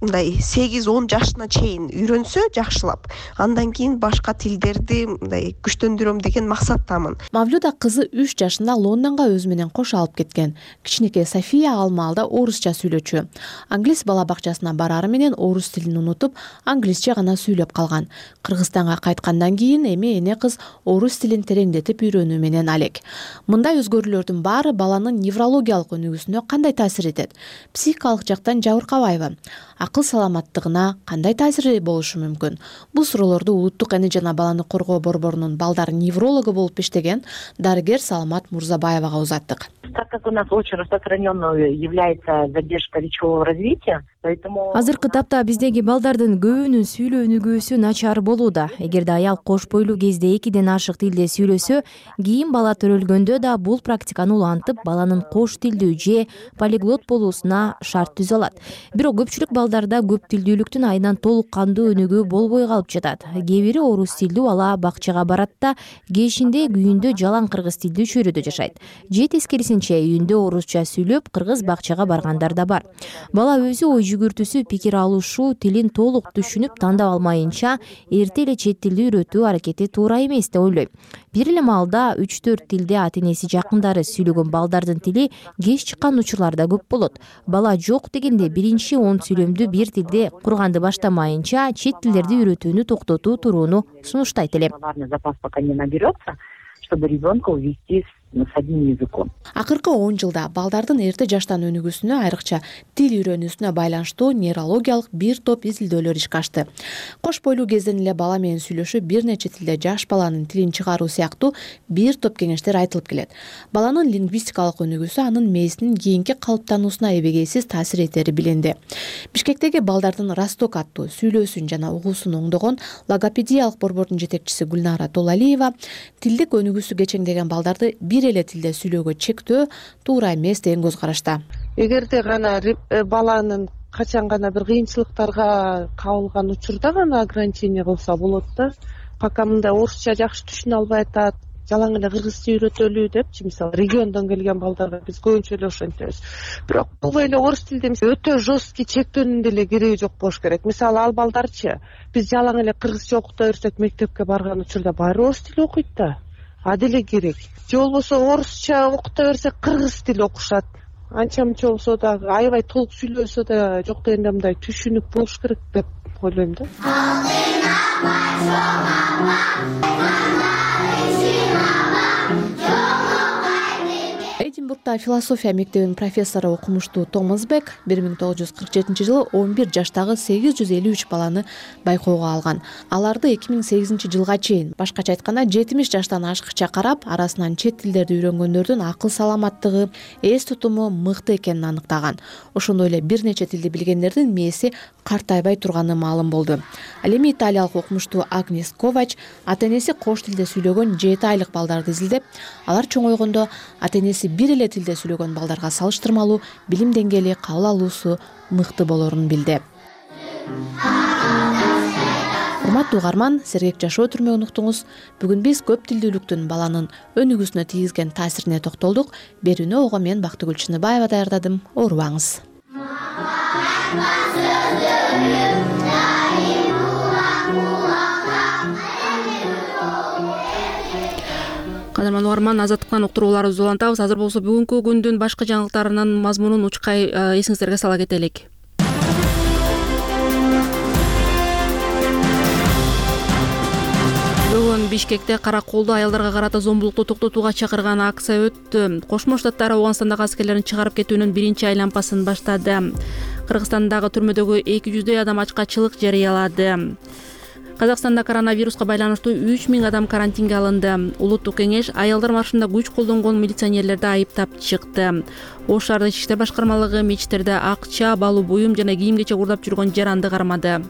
Мындай сегиз он жашына чейин үйрөнсө жакшылап, андан кийин башка тилдерди мындай күчтөндүрөм деген максаттамын. Мавлюда кызы үч жашында Лондонго өзү менен кошо алып кеткен. Кичинекей София ал маалда орусча сүйлөчү. Англис бала бакчасына барары менен орус тилин унутуп, англисче гана сүйлөп калган. Кыргызстанга кайткандан кийин эми эне кыз орус тилин тереңдетип үйрөнүү менен алек. Мындай өзгөрүүлөрдүн баары баланын неврологиялык өнүгүүсүнө кандай таасир этет? Психикалык жактан жабыркабайбы? Акыл саламаттыгына кандай таасири болушу мүмкүн? Бул суроолорду Улуттук эне жана баланы коргоо борборунун балдар неврологу болуп иштеген дарыгер Саламат Мурзабаевага узаттык. Так как у нас очень распространенной является задержка речевого развития, Азыркы тапта биздеги балдардын көбүнүн сүйлөө өнүгүүсү начар болууда. Эгерде аял кош бойлуу кезде экиден ашык тилде сүйлөсө, кийин бала төрөлгөндө да бул практиканы улантып, баланын кош тилдүү же полиглот болуусуна шарт түзө алат. Бирок көпчүлүк балдарда көп тилдүүлүктүн айынан толук кандуу өнүгүү болбой калып жатат. Кээ бири орус тилдүү бала бакчага барат да, кешинде күйүндө жалаң кыргыз тилдүү чөйрөдө жашайт. Же тескерисинче үйүндө орусча сүйлөп, кыргыз бакчага баргандар да бар. Бала өзү ой жүгүртүүсү, пикир алышуу, тилин толук түшүнүп тандап алмайынча, эрте эле чет тилди үйрөтүү аракети туура эмес деп ойлойм. Бир эле маалда үч төрт тилде ата-энеси жакындары сүйлөгөн балдардын тили кеч чыккан учурлар да көп болот. Бала жок дегенде биринчи он сүйлөмдү бир тилде курганды баштамайынча чет тилдерди үйрөтүүнү токтотуу турууну сунуштайт элем. Чтобы ребенка увести с одним языком. Акыркы он жылда балдардын эрте жаштан өнүгүүсүнө, айрыкча тил үйрөнүүсүнө байланыштуу нейрологиялык бир топ изилдөөлөр ишке ашты. Кош бойлуу кезден эле бала менен сүйлөшүп, бир нече тилде жаш баланын тилин чыгаруу сыяктуу бир топ кеңештер айтылып келет. Баланын лингвистикалык өнүгүүсү анын мээсинин кийинки калыптануусуна эбегейсиз таасир этери билинди. Бишкектеги балдардын Росток аттуу сүйлөөсүн жана угуусун оңдогон логопедиялык борбордун жетекчиси Гүлнара Толалиева тилдик өнүгүүсү кечеңдеген балдарды бир эле тилде сүйлөөгө чектөө туура эмес деген көз карашта. Эгерде гана баланын качан гана бир кыйынчылыктарга кабылган учурда гана ограничение кылса болот да. Пока мындай орусча жакшы түшүнө албай атат, жалаң эле кыргызча үйрөтөлү депчи, мисалы региондон келген балдарга биз көбүнчө эле ошентебиз. Бирок бул эле орус тилде өтө жесткий чектөөнүн деле кереги жок болуш керек. Мисалы ал балдарчы биз жалаң эле кыргызча окута берсек, мектепке барган учурда баары орус тили окуйт да. А деле керек. Же болбосо орусча окута берсек, кыргыз тили окушат. Анча мынча болсо дагы аябай толук сүйлөсө да жок дегенде мындай түшүнүк болуш керек деп ойлойм да. Эдинбургда философия мектебинин профессору окумуштуу Томас Бек бир миң тогуз жүз кырк жетинчи жылы он бир жаштагы сегиз жүз элүү үч баланы байкоого алган. Аларды эки миң сегизинчи жылга чейин, башкача айтканда жетимиш жаштан ашыкча карап, арасынан чет тилдерди үйрөнгөндөрдүн акыл саламаттыгы, эс тутуму мыкты экенин аныктаган. Ошондой эле бир нече тилди билгендердин мээси картайбай турганы маалым болду. Ал эми италиялык окумуштуу Агнес Ковач ата-энеси кош тилде сүйлөгөн жети айлык балдарды изилдеп, алар чоңойгондо ата-энеси бир эле тилде сүйлөгөн балдарга салыштырмалуу билим деңгээли, кабыл алуусу мыкты болорун билди. Урматтуу угарман, сергек жашоо түрмөгүн уктуңуз. Бүгүн биз көп тилдүүлүктүн баланын өнүгүүсүнө тийгизген таасирине токтолдук. Берүүнү ого мен Бактыгүл Чыныбаева даярдадым. Оорубаңыз. Кадырман угарман, азаттыктан уктурууларыбызды улантабыз. Азыр болсо бүгүнкү күндүн башка жаңылыктарынын мазмунун учкай эсиңиздерге сала кетелик. Бүгүн Бишкекте кара колдуу аялдарга карата зомбулукту токтотууга чакырган акция өттү. Кошмо Штаттар Ауганстандагы аскерлерин чыгарып кетүүнүн биринчи айланпасын баштады. Кыргызстандагы түрмөдөгү эки жүздөй адам ачкачылык жарыялады. Казакстанда коронавируска байланыштуу үч миң адам карантинге алынды. Улуттук кеңеш аялдар маршында күч колдонгон милиционерлерди айыптап чыкты. Ош шаардык ички иштер башкармалыгы мечиттерде акча, балу буюм жана кийим кечек уурдап жүргөн жаранды кармады.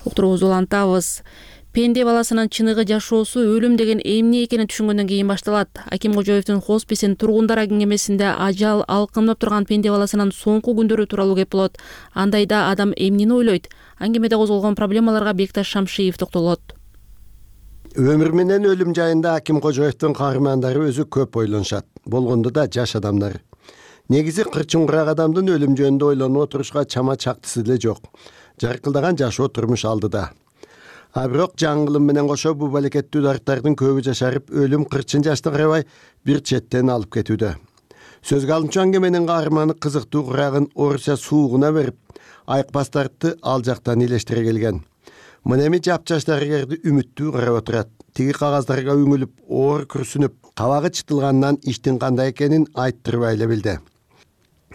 Уктуруубузду улантабыз. Пенде баласынын чыныгы жашоосу өлүм деген эмне экенин түшүнгөндөн кийин башталат. Аким Кожоевдин Хосписин тургундар кеңемесинде ажал алкынып турган пенде баласынын соңку күндөрү тууралуу кеп болот. Андайда адам эмнени ойлойт? Аңгемеде козголгон проблемаларга Бекташ Шамшиев токтолот. Өмүр менен өлүм жайында Аким Кожоевдин каармандары өзү көп ойлонушат. Болгондо да жаш адамдар. Негизи кырчыңкырак адамдын өлүм жөнүндө ойлонуп отурушка чама чактысы деле жок. Жаркылдаган жашоо турмуш алдыда. А бирок жаңылым менен кошо бул балекеттүү дарттардын көбү жашарып, өлүм кырчын жашты карабай бир четтен алып кетүүдө. Сөзгө алынчу аңгеменин каарманы кызыктуу курагын орусча суугуна берип, айыкпастарды ал жактан илештире келген. Мына эми жапжаш дарыгерди үмүттүү карап отурат. Тиги кагаздарга үңүлүп, оор күрсүнүп, кабагы чытылгандан иштин кандай экенин айттырбай эле билди.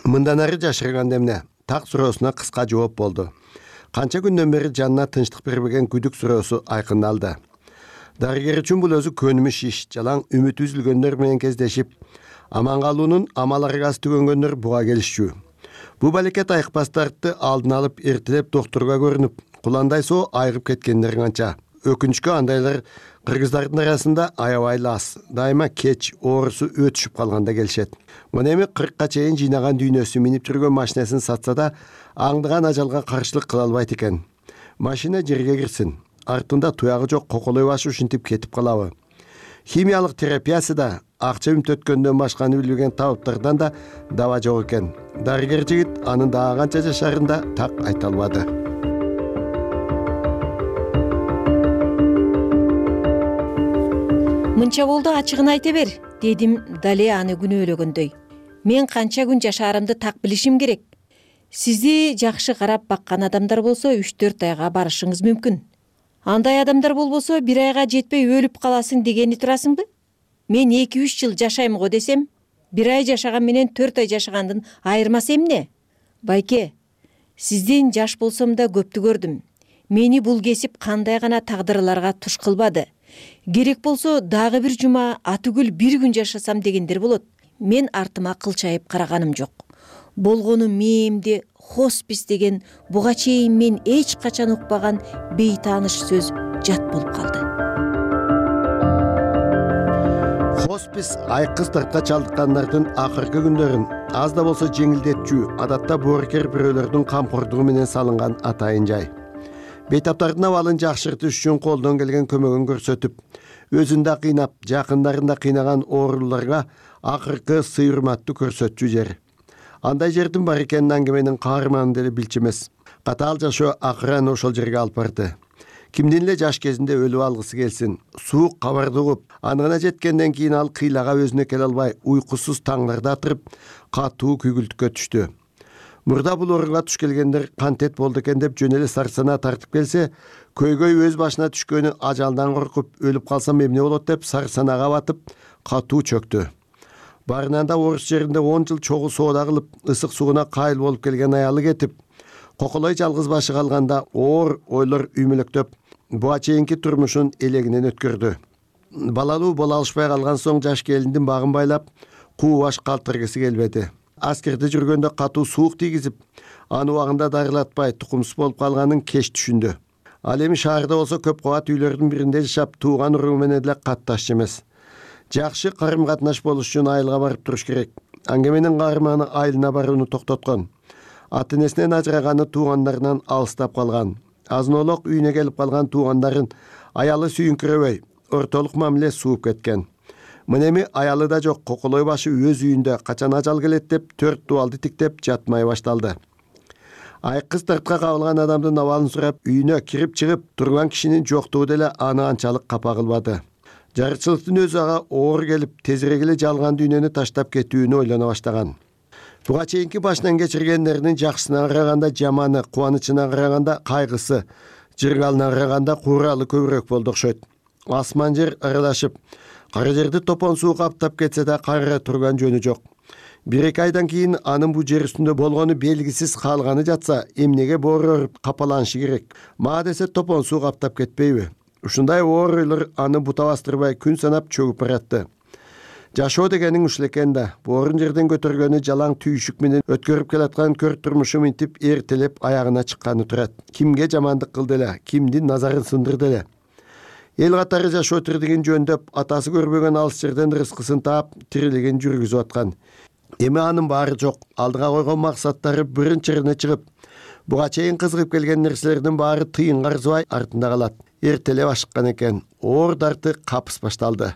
Мындан ары жашырган эмне? Так суроосуна кыска жооп болду. Канча күндөн бери жанына тынчтык бербеген күдүк суроосу айкындалды. Дарыгер үчүн бул өзү көнүмүш иш. Жалаң үмүт үзүлгөндөр менен кездешип, аман калуунун амал аргасы түгөнгөндөр буга келишчү. Бул балекет айыкпастарды алдын алып эртелеп доктурга көрүнүп, куландай соо айыгып кеткендер канча. Өкүнүчкө андайлар кыргыздардын арасында аябай аз. Дайыма кеч оорусу өтүшүп калганда келишет. Мына эми кыркка чейин жыйнаган дүйнөсү минип жүргөн машинесин сатса да, аңдыган ажалга каршылык кыла албайт экен. Машина жерге кирсин, артында туягы жок коколой башы ушинтип кетип калабы? Химиялык терапиясы да акча үмтөткөндөн башканы билбеген табыптардан да даба жок экен. Дарыгер жигит анын дагы канча жашарын да так айта албады. Мынча болду, ачыгын айта бер, дедим дале аны күнөөлөгөндөй. Мен канча күн жашаарымды так билишим керек. Сизди жакшы карап баккан адамдар болсо үч төрт айга барышыңыз мүмкүн. Андай адамдар болбосо бир айга жетпей өлүп каласың дегени турасыңбы? Мен эки үч жыл жашайм го десем, бир ай жашаган менен төрт ай жашагандын айырмасы эмне? Байке, сизден жаш болсом да көптү көрдүм. Мени бул кесип кандай гана тагдырларга туш кылбады. Керек болсо дагы бир жума атүгүл бир күн жашасам дегендер болот. Мен артыма кылчайып караганым жок. Болгону мээмде хоспис деген буга чейин мен эч качан укпаган бейтааныш сөз жат болуп калды. Хоспис айкыз тартка чалдыккандардын акыркы күндөрүн аз да болсо жеңилдетчү, адатта боорукер бирөөлөрдүн камкордугу менен салынган атайын жай. Бейтаптардын абалын жакшыртыш үчүн колдон келген көмөгүн көрсөтүп, өзүн да кыйнап, жакындарын да кыйнаган ооруларга акыркы сый-урматты көрсөтчү жер. Андай жердин бар экенин аңгеменин каарманы деле билчү эмес. Катаал жашоо акырын ошол жерге алып барды. Кимдин эле жаш кезинде өлүп алгысы келсин, суук кабарды угуп, анына жеткенден кийин ал кыйлага өзүнө келе албай, уйкусуз таңларда атырып, катуу күйгүлтүккө түштү. Мурда бул орунга туш келгендер кантет болду экен деп жөн эле сарсана тартып келсе, көйгөй өз башына түшкөнү ажалдан коркуп, өлүп калсам эмне болот деп сарсанага батып, катуу чөктү. Барынан да орус жеринде он жыл чогуу соода кылып, ысык сууна кайыл болуп келген аялы кетип, коколой жалгыз башы калганда оор ойлор үймөлөктөп, буга чейинки турмушун элегинен өткөрдү. Балалуу боло алышпай калган соң жаш келиндин багын байлап, куу баш калтыргысы келбеди. Аскерде жүргөндө катуу суук тийгизип, аны убагында дарылатпай тукумсуз болуп калганын кеч түшүндү. Ал эми шаарда болсо көп кабат үйлөрдүн биринде жашап, тууган уруу менен деле катташчу эмес. Жакшы карым-катнаш болуш үчүн айылга барып туруш керек. Аңгеменин каарманы айылына барууну токтоткон. Ата-энесинен ажыраганы туугандарынан алыстап калган. Азын-олок үйүнө келип калган туугандарын аялы сүйүнкүрөбөй, ортолук мамиле сууп кеткен. Мына эми аялы да жок, коколой башы өз үйүндө качан ажал келет деп төрт дубалды тиктеп жатмай башталды. Айкыз тартка кабылган адамдын абалын сурап, үйүнө кирип чыгып турган кишинин жоктугу деле аны анчалык капа кылбады. Жарычылыктын өзү ага оор келип, тезирээк эле жалган дүйнөнү таштап кетүүнү ойлоно баштаган. Буга чейинки башынан кечиргендеринин жакшысына караганда жаманы, кубанычына караганда кайгысы, жыргалына караганда кууралы көбүрөөк болду окшойт. Асман жер аралашып, кара жерди топон суу каптап кетсе да кайра турган жөнү жок. Бир эки айдан кийин анын бул жер үстүндө болгону белгисиз калганы жатса, эмнеге боорор капаланышы керек? Мага десе топон суу каптап кетпейби? Ушундай оор ойлор аны бута бастырбай күн санап чөгүп баратты. Жашоо дегениң ушул экен да, боорун жерден көтөргөнү жалаң түйүшүк менен өткөрүп келаткан көр турмушу минтип эртелеп аягына чыкканы турат. Кимге жамандык кылды эле, кимдин назарын сындырды эле? Эл катары жашоо тирдигин жөндөп, атасы көрбөгөн алыс жерден рызкысын таап, тирилигин жүргүзүп аткан. Эми анын баары жок, алдыга койгон максаттары биринчирине чыгып, буга чейин кызыгып келген нерселердин баары тыйын карзыбай артында калат. Эртелеп ашыккан экен, оор дарты капыс башталды.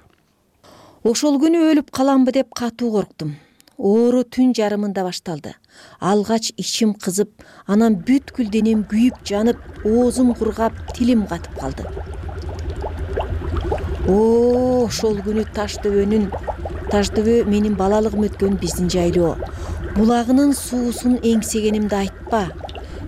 Ошол күнү өлүп каламбы деп катуу корктум. Оору түн жарымында башталды. Алгач ичим кызып, анан бүткүл денем күйүп жанып, оозум кургап, тилим катып калды. О, ошол күнү Таштөбөнүн, Таштөбө менин балалыгым өткөн биздин жайлоо. Булагынын суусун эңсегенимди айтпа.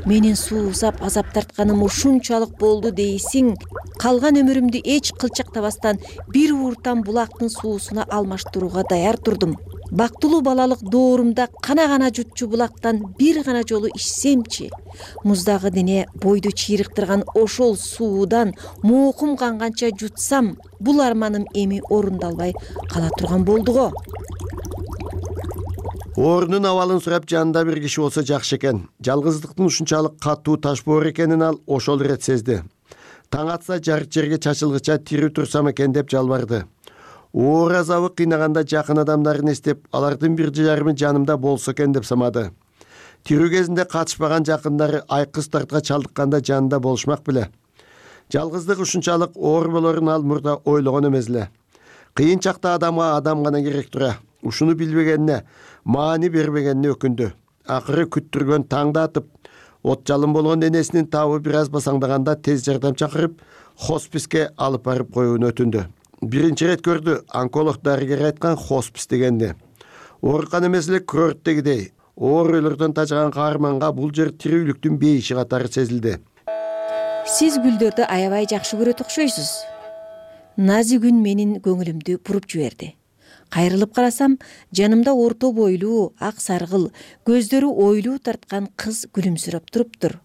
Менин суусап азап тартканым ушунчалык болду дейсиң. Калган өмүрүмдү эч кылчактабастан бир ууртан булактын суусуна алмаштырууга даяр турдум. Бактылуу балалык доорумда кана-кана жутчу булактан бир гана жолу ичсемчи, муздагы дене бойду чыйрыктырган ошол суудан моокум канганча жутсам, бул арманым эми орундалбай кала турган болду го. Оорунун абалын сурап жанында бир киши болсо жакшы экен. Жалгыздыктын ушунчалык катуу таш боор экенин ал ошол ирет сезди. Таң атса жарык жерге чачылгыча тирүү турсам экен деп жалбарды. Оор азабы кыйнаганда жакын адамдарын эстеп, алардын бир жарымы жанымда болсо экен деп самады. Тирүү кезинде катышпаган жакындары айкыз тартка чалдыкканда жанында болушмак беле. Жалгыздык ушунчалык оор болорун ал мурда ойлогон эмес эле. Кыйын чакта адамга адам гана керек тура. Ушуну билбегенине, маани бербегенине өкүндү. Акыры күттүргөн таңда атып, от жалын болгон энесинин табы бир аз басаңдаганда тез жардам чакырып, хосписке алып барып коюун өтүндү. Биринчи ирет көрдү, онколог дарыгер айткан хоспис дегенди. Оорукан эмес эле курорттегидей. Оорулордон тажаган каарманга бул жер тирүүлүктүн бейиши катары сезилди. Сиз гүлдөрдү аябай жакшы көрөт окшойсуз. Назик үн менин көңүлүмдү буруп жиберди. Кайрылып карасам, жанымда орто бойлуу, ак саргыл, көздөрү ойлуу тарткан кыз күлүмсүрөп туруптур.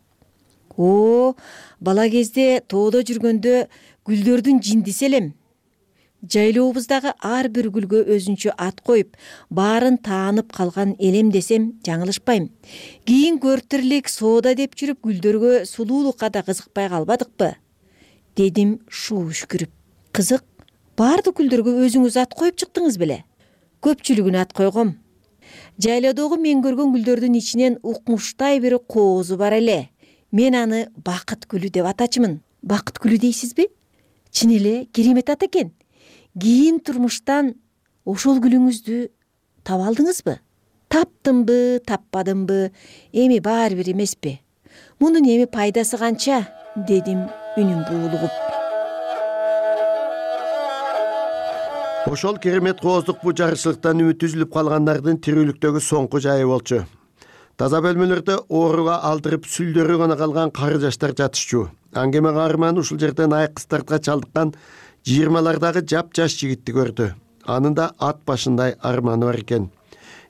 О, бала кезде тоодо жүргөндө гүлдөрдүн жиндиси элем. Жайлообуздагы ар бир гүлгө өзүнчө ат коюп, баарын таанып калган элем десем жаңылышпайм. Кийин көртүрлүк соода деп жүрүп гүлдөргө сулуулукка да кызыкпай калбадыкпы? Дедим шуу үшкүрүп. Кызык, баардык гүлдөргө өзүңүз ат коюп чыктыңыз беле? Көпчүлүгүнө ат койгом. Жайлоодогу мен көргөн гүлдөрдүн ичинен укмуштай бир коозу бар эле. Мен аны бакыт гүлү деп атачымын. Бакыт гүлү дейсизби? Чын эле керемет ат экен. Кийин турмуштан ошол гүлүңүздү таба алдыңызбы? Таптымбы, таппадымбы, эми баары бир эмеспи? Мунун эми пайдасы канча? Дедим үнүм буулугуп. Ошол керемет кооздук бу жарышчылыктан үмүт үзүлүп калгандардын тирүүлүктөгү соңку жайы болчу. Таза бөлмөлөрдө ооруга алдырып сүлдөрү гана калган кары жаштар жатышчу. Аңгеме каарман ушул жерден айкыз тартка чалдыккан жыйырмалардагы жап-жаш жигитти көрдү. Анын да ат башындай арманы бар экен.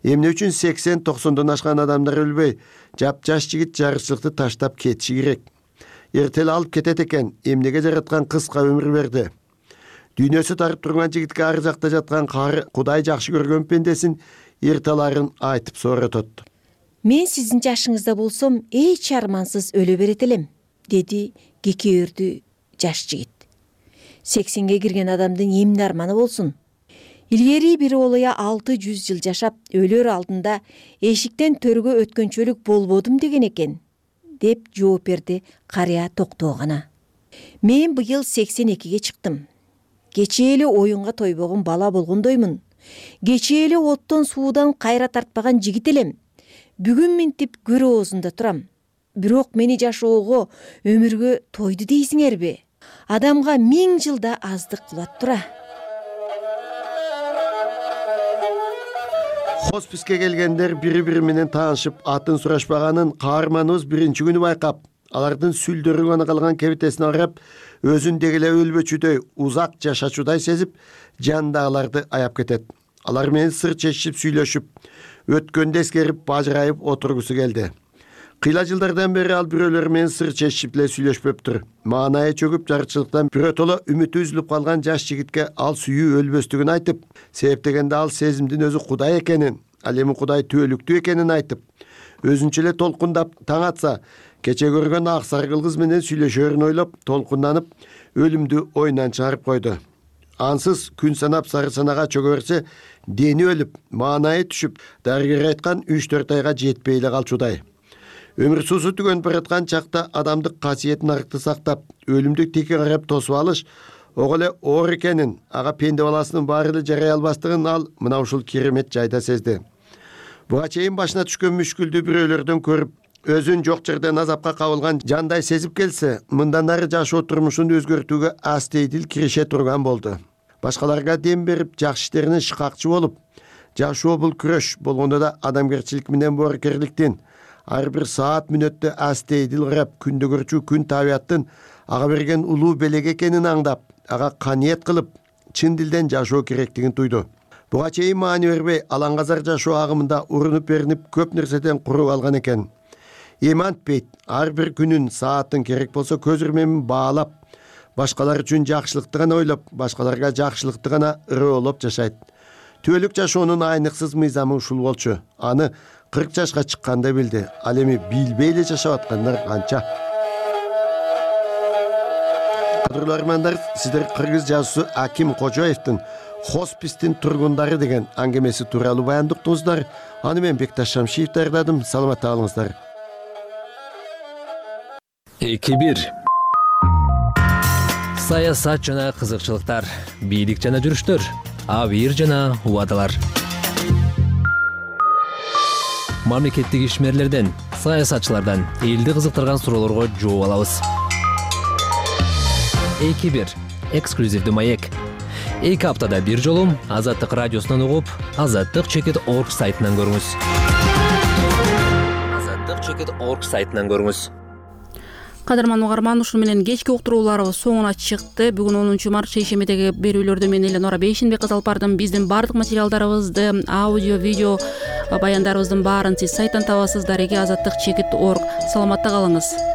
Эмне үчүн сексен токсондон ашкан адамдар өлбөй, жап-жаш жигит жарышчылыкты таштап кетиши керек? Эртеле алып кетет экен, эмнеге жараткан кыска өмүр берди? Дүйнөсү тарып турган жигитке ар жакта жаткан кары Кудай жакшы көргөн пендесин эртеларын айтып сооротот. Мен сиздин жашыңызда болсом, эч армансыз өлө берет элем, деди кекеөрдү жаш жигит. Сексенге кирген адамдын эмне арманы болсун? Илгери бир олуя алты жүз жыл жашап, өлөр алдында эшиктен төргө өткөнчөлүк болбодум деген экен, деп жооп берди карыя токтоо гана. Мен быйыл сексен экиге чыктым. Кечээ эле оюнга тойбогон бала болгондоймун. Кечээ эле оттон суудан кайра тартпаган жигит элем. Бүгүн минтип көр оозунда турам. Бирок мени жашоого, өмүргө тойду дейсиңерби? Адамга миң жылда аздык кылат тура. Хосписке келгендер бири-бири менен таанышып, атын сурашпаганын каарманыбыз биринчи күнү байкап, алардын сүлдөрү гана калган кебитесине карап, өзүн дегеле өлбөчүдөй, узак жашачудай сезип, жанындагыларды аяп кетет. Алар менен сыр чечишип сүйлөшүп, өткөндү эскерип, бажырайып отургусу келди. Кыйла жылдардан бери ал бирөөлөр менен сыр чечишип эле сүйлөшпөптүр. Маанайы чөгүп, жарычылыктан биротоло үмүтү үзүлүп калган жаш жигитке ал сүйүү өлбөстүгүн айтып, себеп дегенде ал сезимдин өзү Кудай экенин, ал эми Кудай түбөлүктүү экенин айтып, өзүнчө эле толкундап, таң атса, кече көргөн ак саргыл кыз менен сүйлөшөрүн ойлоп, толкунданып, өлүмдү оюнан чыгарып койду. Ансыз күн санап сары санага чөгө берсе, дени өлүп, маанайы түшүп, дарыгер айткан үч төрт айга жетпей эле калчудай. Өмүр суусу түгөнүп бараткан чакта адамдык касиетин арыкты сактап, өлүмдүк тике карап тосуп алыш, ого эле оор экенин, ага пенде баласынын баары эле жарай албастыгын ал мына ушул керемет жайда сезди. Буга чейин башына түшкөн мүшкүлдү бирөөлөрдөн көрүп, өзүн жок жерден азапка кабылган жандай сезип келсе, мындан ары жашоо турмушун өзгөртүүгө астейдил кирише турган болду. Башкаларга дем берип, жакшы иштерине шыкакчы болуп, жашоо бул күрөш болгондо да адамгерчилик менен боорукерликтин, ар бир саат мүнөттө астейдил карап, күндө көрчү күн табияттын ага берген улуу белек экенин аңдап, ага каниет кылып, чын дилден жашоо керектигин туйду. Буга чейин маани бербей, алаңгазар жашоо агымында урунуп беринип, көп нерседен куруп алган экен. Эми антпейт, ар бир күнүн, саатын керек болсо көз ирмемин баалап, башкалар үчүн жакшылыкты гана ойлоп, башкаларга жакшылыкты гана ырыолоп жашайт. түбөлүк жашоонун айныксыз мыйзамы ушул болчу. Аны кырк жашка чыкканда билди. Ал эми билбей эле жашап аткандар канча. Кадырлуу армандар, сиздер кыргыз жазуусу Аким Кожоевдин «Хоспистин тургундары» деген аңгемеси тууралуу баяндыктыңыздар. Аны мен Бекташ Шамшиев даярдадым. Саламатта калыңыздар. эки бир саясат жана кызыкчылыктар, бийлик жана жүрүштөр, абийир жана убадалар. Мамлекеттик ишмерлерден, саясатчылардан элди кызыктырган суроолорго жооп алабыз. эки бир эксклюзивдүү маек. эки аптада бир жолу Азаттык радиосунан угуп, азаттык чекит орг сайтынан көрүңүз. азаттык чекит орг сайтынан көрүңүз. Кадырман угарман, ушуну менен кечки уктурууларыбыз соңуна чыкты. Бүгүн онунчу март шейшембидеги берүүлөрдө мен эле Нора Бейшенбек кыз алып бардым. Биздин бардык материалдарыбызды, аудио, видео баяндарыбыздын баарын сиз сайттан табасыздар. Азаттык чекит орг. Саламатта калыңыз.